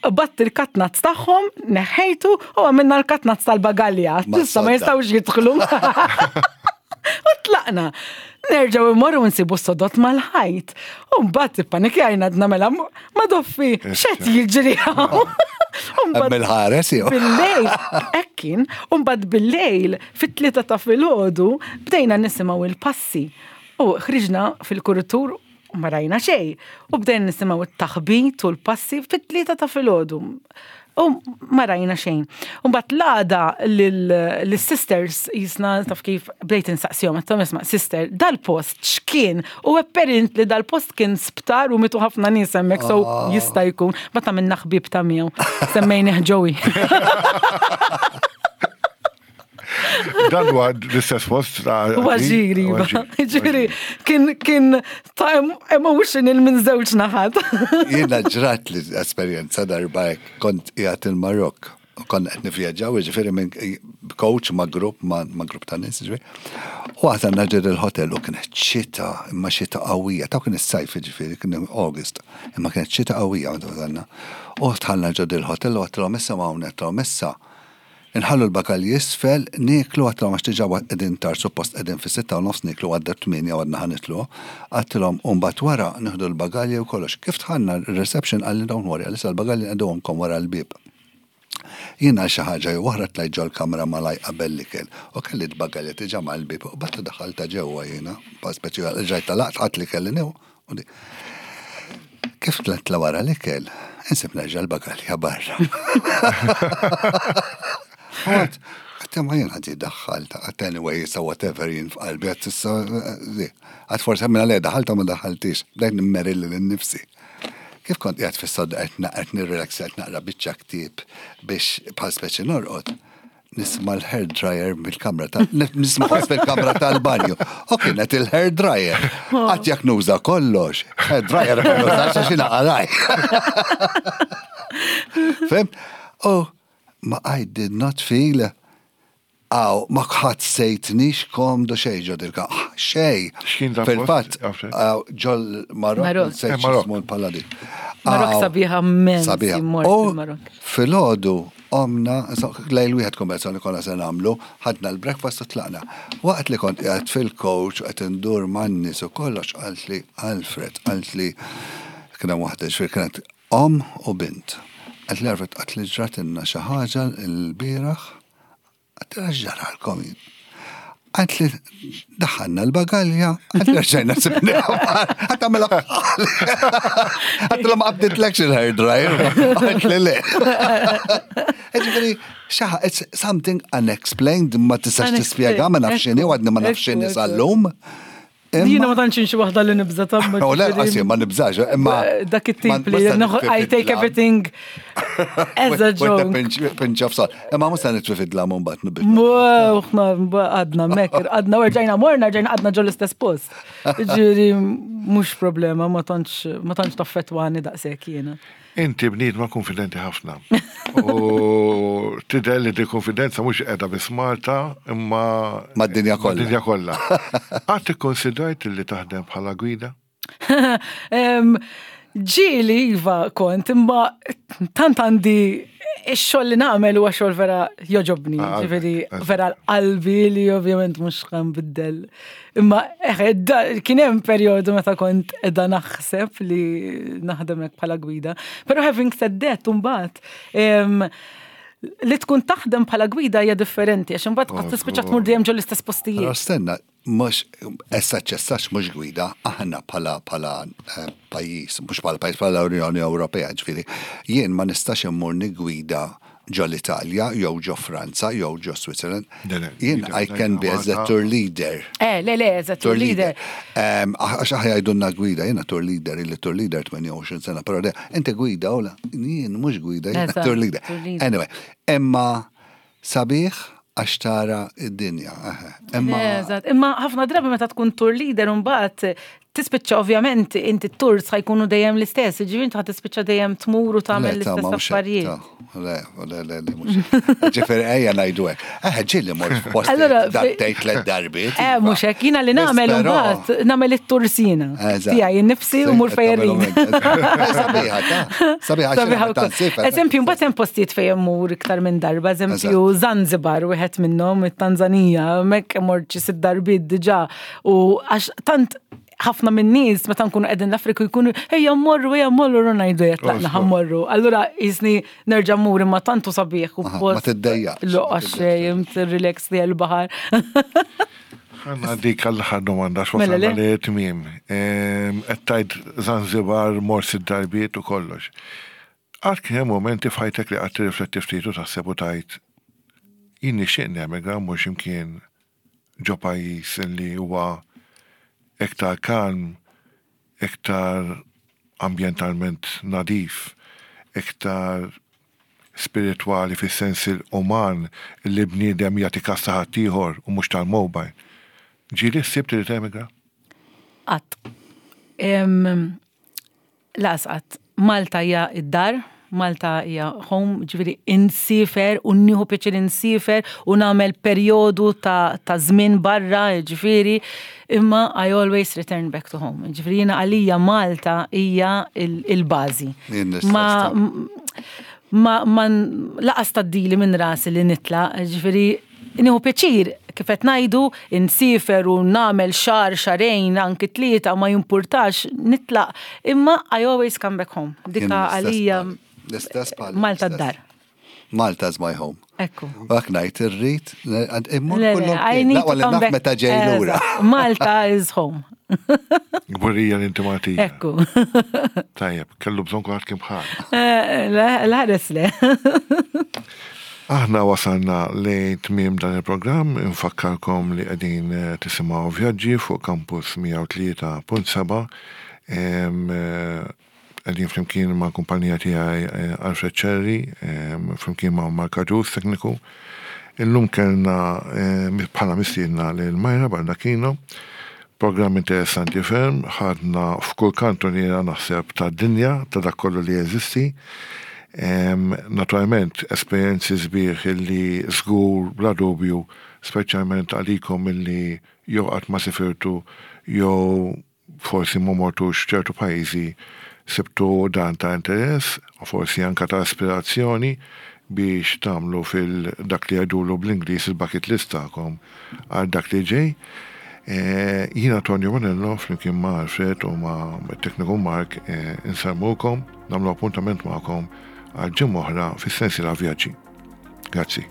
Qbadt il-katnazz tagħhom, neħħejtu u għamilna l-katnazz tal-bagalja. Issa ma jistgħux jidħlu. U tlaqna. Nerġgħu immorru nsibu s-sodot mal-ħajt. U mbagħad ippanikjajna għadna mela ma doffi, x'qed jiġri hawn. Bil-ħares jew. Bil-lejl, hekk kien, u mbagħad bil-lejl fit-tlieta ta' filgħodu bdejna nisimgħu il-passi. U ħriġna fil-kuritur U ma rajna xejn. U bdejna nisimgħu t-taħbit u l-passi fit-tlieta ta' filgħodu. U ma rajna xejn. U mbagħad l-għada lis-sisters jisna taf kif bdejt insaqsihom, għedthom isma' sister, dal-post x'kien? U apparently dal-post kien sptar u mitu ħafna nies hemmhekk, so ah. jista' jkun. Mbagħad għamilna ħbieb ta' miegħu. Semmejnih Joey. Dan huwa l-istess post ta' Waġiri, ġiri, kien kien ta' emotional minn żewġ naħat. Jiena ġrat li esperjenza darba hekk kont qiegħed il-Marokk u konna qed nivvjaġġaw, jiġifieri minn coach ma' grupp ma' grupp ta' nies, jiġifieri. U għażalna ġir il-hotel u kienet xita, imma xita qawwija, ta' kien is-sajf jiġifieri, kien August, imma kienet xita qawwija meta wasalna. U dħalna ġo dil-hotel u għedtilhom issa ma' hawn għedtilhom issa Inħallu l-bagalji isfel, nieklu, għedtilhom għax diġà qegħdin tard, suppost qegħdin fis-sitta u nofs nieklu għadda t-tmienja u għadna ħa nitlu. Għedtilhom u mbagħad wara nieħdu l-bagalji u kollox. Kif dħalna r-reception qalli don't worry, għalissa l-bagalji nqegħduhomkom wara l-bieb. Jien għal xi ħaġa jew oħra tlajt ġol-kamra malajr qabel l-ikel u kelli l-bagalja diġà mal-bieb u qbadt u daħħaltha ġewwa jiena, bħal speċi rġajt għalaqt ħadt li kelli nieħu u Kif tlajt wara l-ikel, insib nerġa' l-bagalja barra. Għat, għat ma jien għaddi daħħalta, għat anyway, so whatever jien f'qalbi, għat issa, għat forse minna le daħħalta ma daħħaltix, bdejt nimmerilli l-nifsi. Kif kont qiegħed fis-sodda qed naqgħed nirrelaxja qed naqra biċċa ktieb biex bħal speċi norqod, Nisma l-hair dryer mill-kamra ta' nisma ħoss fil-kamra tal-banju. U kienet il-hair dryer. Qatt jekk nuża kollox, hair dryer ma nużax għax inaqalaj. Fim? Oh, ma I did not feel Aw, ma ħassejtnix komdu xej ġo dilka. Xej. Fil-fatt, ġol Marok, sejt xismu l-paladi. Marok sabiħa mens. Sabiħa. Filgħodu qomna, lejl wieħed konversazzjoni konna se nagħmlu, ħadna l-breakfast u tlaqna. Waqt li kont qiegħed fil-coach u qed indur man-nies u kollox qaltli Alfred, qaltli kien hemm waħda ġifieri kienet omm u bint. Qaltli Alfred qaltli ġratilna xi ħaġa l-bieraħ Għedtilha x'ġaralkom jien? Għalt li daħħalna l-bagalja, għalt li rġajna sibniha. Għat għamela Għat l ma qabditlekx il-hair dryer. Għalt li le. Ġifieri, xaħa, it's something unexplained, ma tistax tispjega, ma nafx x'inhi, għadni ma nafx x'inhi sal-lum. Jiena ma tantx xi waħda li nibża ta' U le, qasi ma nibżax, imma. Dak it-tip li I take everything as a joke. Pinch of salt. Imma mhux se nitfi fid-dlam u mbagħad nibda. Aħna għadna mekk, għadna u rġajna morna, rġajna għadna ġol istess post. Ġifieri mhux problema, ma tantx ma tantx taffettwani daqshekk jiena. Inti bniedma kunfidenti ħafna. U tidher li di konfidenza mhux qiegħda biss Malta imma mad-dinja kollha. Mad-dinja kollha. Qatt ikkonsidrajt li taħdem bħala gwida? Ġieli iva kont, imma tant għandi ix-xogħol li nagħmel huwa xogħol vera joġobni, ah, ġifieri vera l-qalbi li ovvjament mhux biddel Imma eħe, kien hemm perjodu meta kont qiegħda naħseb li naħdem hekk bħala gwida. Però having said that, imbagħad li tkun taħdem bħala gwida hija differenti, għax imbagħad qatt tispiċċa tmur dejjem ġol istess postijiet. Però stenna, mhux essa ċessax mhux gwida, aħna bħala bħala eh, pajjiż, mhux bħala pajjiż bħala Unjoni Ewropea, ġifieri, jien ma nistax immur nigwida ġo l-Italja, jew ġo Franza, jew ġo Switzerland. Jien I can be as a tour leader. Eh, le, le, as a tour leader. Għax aħna jgħidulna gwida, jiena tour leader, illi tour leader 28 sena, però le, inti gwida u la, jien mhux gwida, jiena tour leader. Anyway, imma sabiħ. Għax tara id-dinja. Imma Eżatt, imma ħafna drabi meta tkun tour leader imbagħad tispiċċa ovvjament inti t-tours ħajkunu dejjem l-istess, ġifieri inti ħa tispiċċa dejjem tmur u tagħmel l-istess affarijiet. Le, le, le, le, mhux. Ġifieri ejja ngħidu hekk. Eh, ġieli mort f'post darbtejn tliet darbiet. Eh, mhux hekk, jiena li nagħmel imbagħad nagħmel it-tursina. Tiegħi nnifsi u mur fejn Sabiħa, ta' sabiħa. Sabiħa. Eżempju, mbagħad hemm postijiet fejn immur iktar minn darba, eżempju Zanzibar wieħed minnhom it-Tanzanija, hemmhekk mort xi sitt darbiet diġà u għax tant ħafna minn nies meta nkunu qegħdin l-Afrika jkunu ejja mmorru ejja mmorru u ngħidu jekk tlaqna ħa mmorru. Allura jisni nerġa' mmur imma tantu sabiħ u post. Ma tiddejjaqx. Loqa xejn, relax li l-baħar. Ħanna dik għall-aħħar domanda x'wasalna mela li tmiem. Ehm, qed tgħid Zanzibar mort sitt darbiet u kollox. Qatt kien hemm mumenti f'ħajtek li qatt tirrifletti ftit u taħseb u tgħid jien nixtieq nemigra mmur x'imkien ġo pajjiż li huwa iktar kalm, iktar ambjentalment nadif, iktar spiritwali fis-sens uman li bniedem jagħti kas ta' ħaddieħor u mhux tal-mobile. Ġieli ħsibt li temigra? Qatt. Laqas qatt. Malta hija d-dar, Malta hija home, ġifieri insiefer u nieħu pjaċir insiefer u nagħmel perjodu ta' ta' żmien barra, ġifieri, imma I always return back to home. Ġifieri jiena għalija Malta hija il-bażi. Ma ma ma laqas tgħaddili minn rasi li nitlaq, ġifieri Nieħu pjaċir, kif qed ngħidu, insiefer u nagħmel xahar, xahrejn, anki tlieta, ma jimpurtax, nitlaq, imma I always come back home. Dika għalija Malta d-dar. Malta is my home. Ekku. U hekk ngħid irrid immur kullum. Laqwa li naf meta ġej lura. Malta is home. Gburija li inti Maltija. Ekku. Tajjeb, kellu bżonn kulħadd kien bħal. L-ħares le. Aħna wasalna lejn tmiem dan il-programm, infakkarkom li qegħdin eh, tisimgħu vjaġġi fuq Campus 103.7. Eh, qegħdin flimkien ma' kumpanija tiegħi eh, Alfred Cherry, flimkien ma' Mark Agius tekniku. Illum kellna bħala mistiedna lil Majra Baldacchino. Programm interessanti ferm, ħadna f'kull kantuniera naħseb tad-dinja ta' dak kollu li jeżisti. Naturalment esperjenzi sbieħ illi żgur bla dubju, speċjalment għalikom illi jew qatt ma sifirtu jew forsi ma mortux f'ċertu pajjiżi sibtu dan ta' interess u forsi anke ta' ispirazzjoni biex tagħmlu fil dak li jgħidulu bl-Ingliż il-bucket list tagħkom għal dak li ġej. Jiena Tonio Bonello flimkien ma' Alfred u ma' tekniku Mark insellmukom, nagħmlu appuntament magħkom għal ġimgħa oħra fis-sensiela Vjaġġi. Grazzi.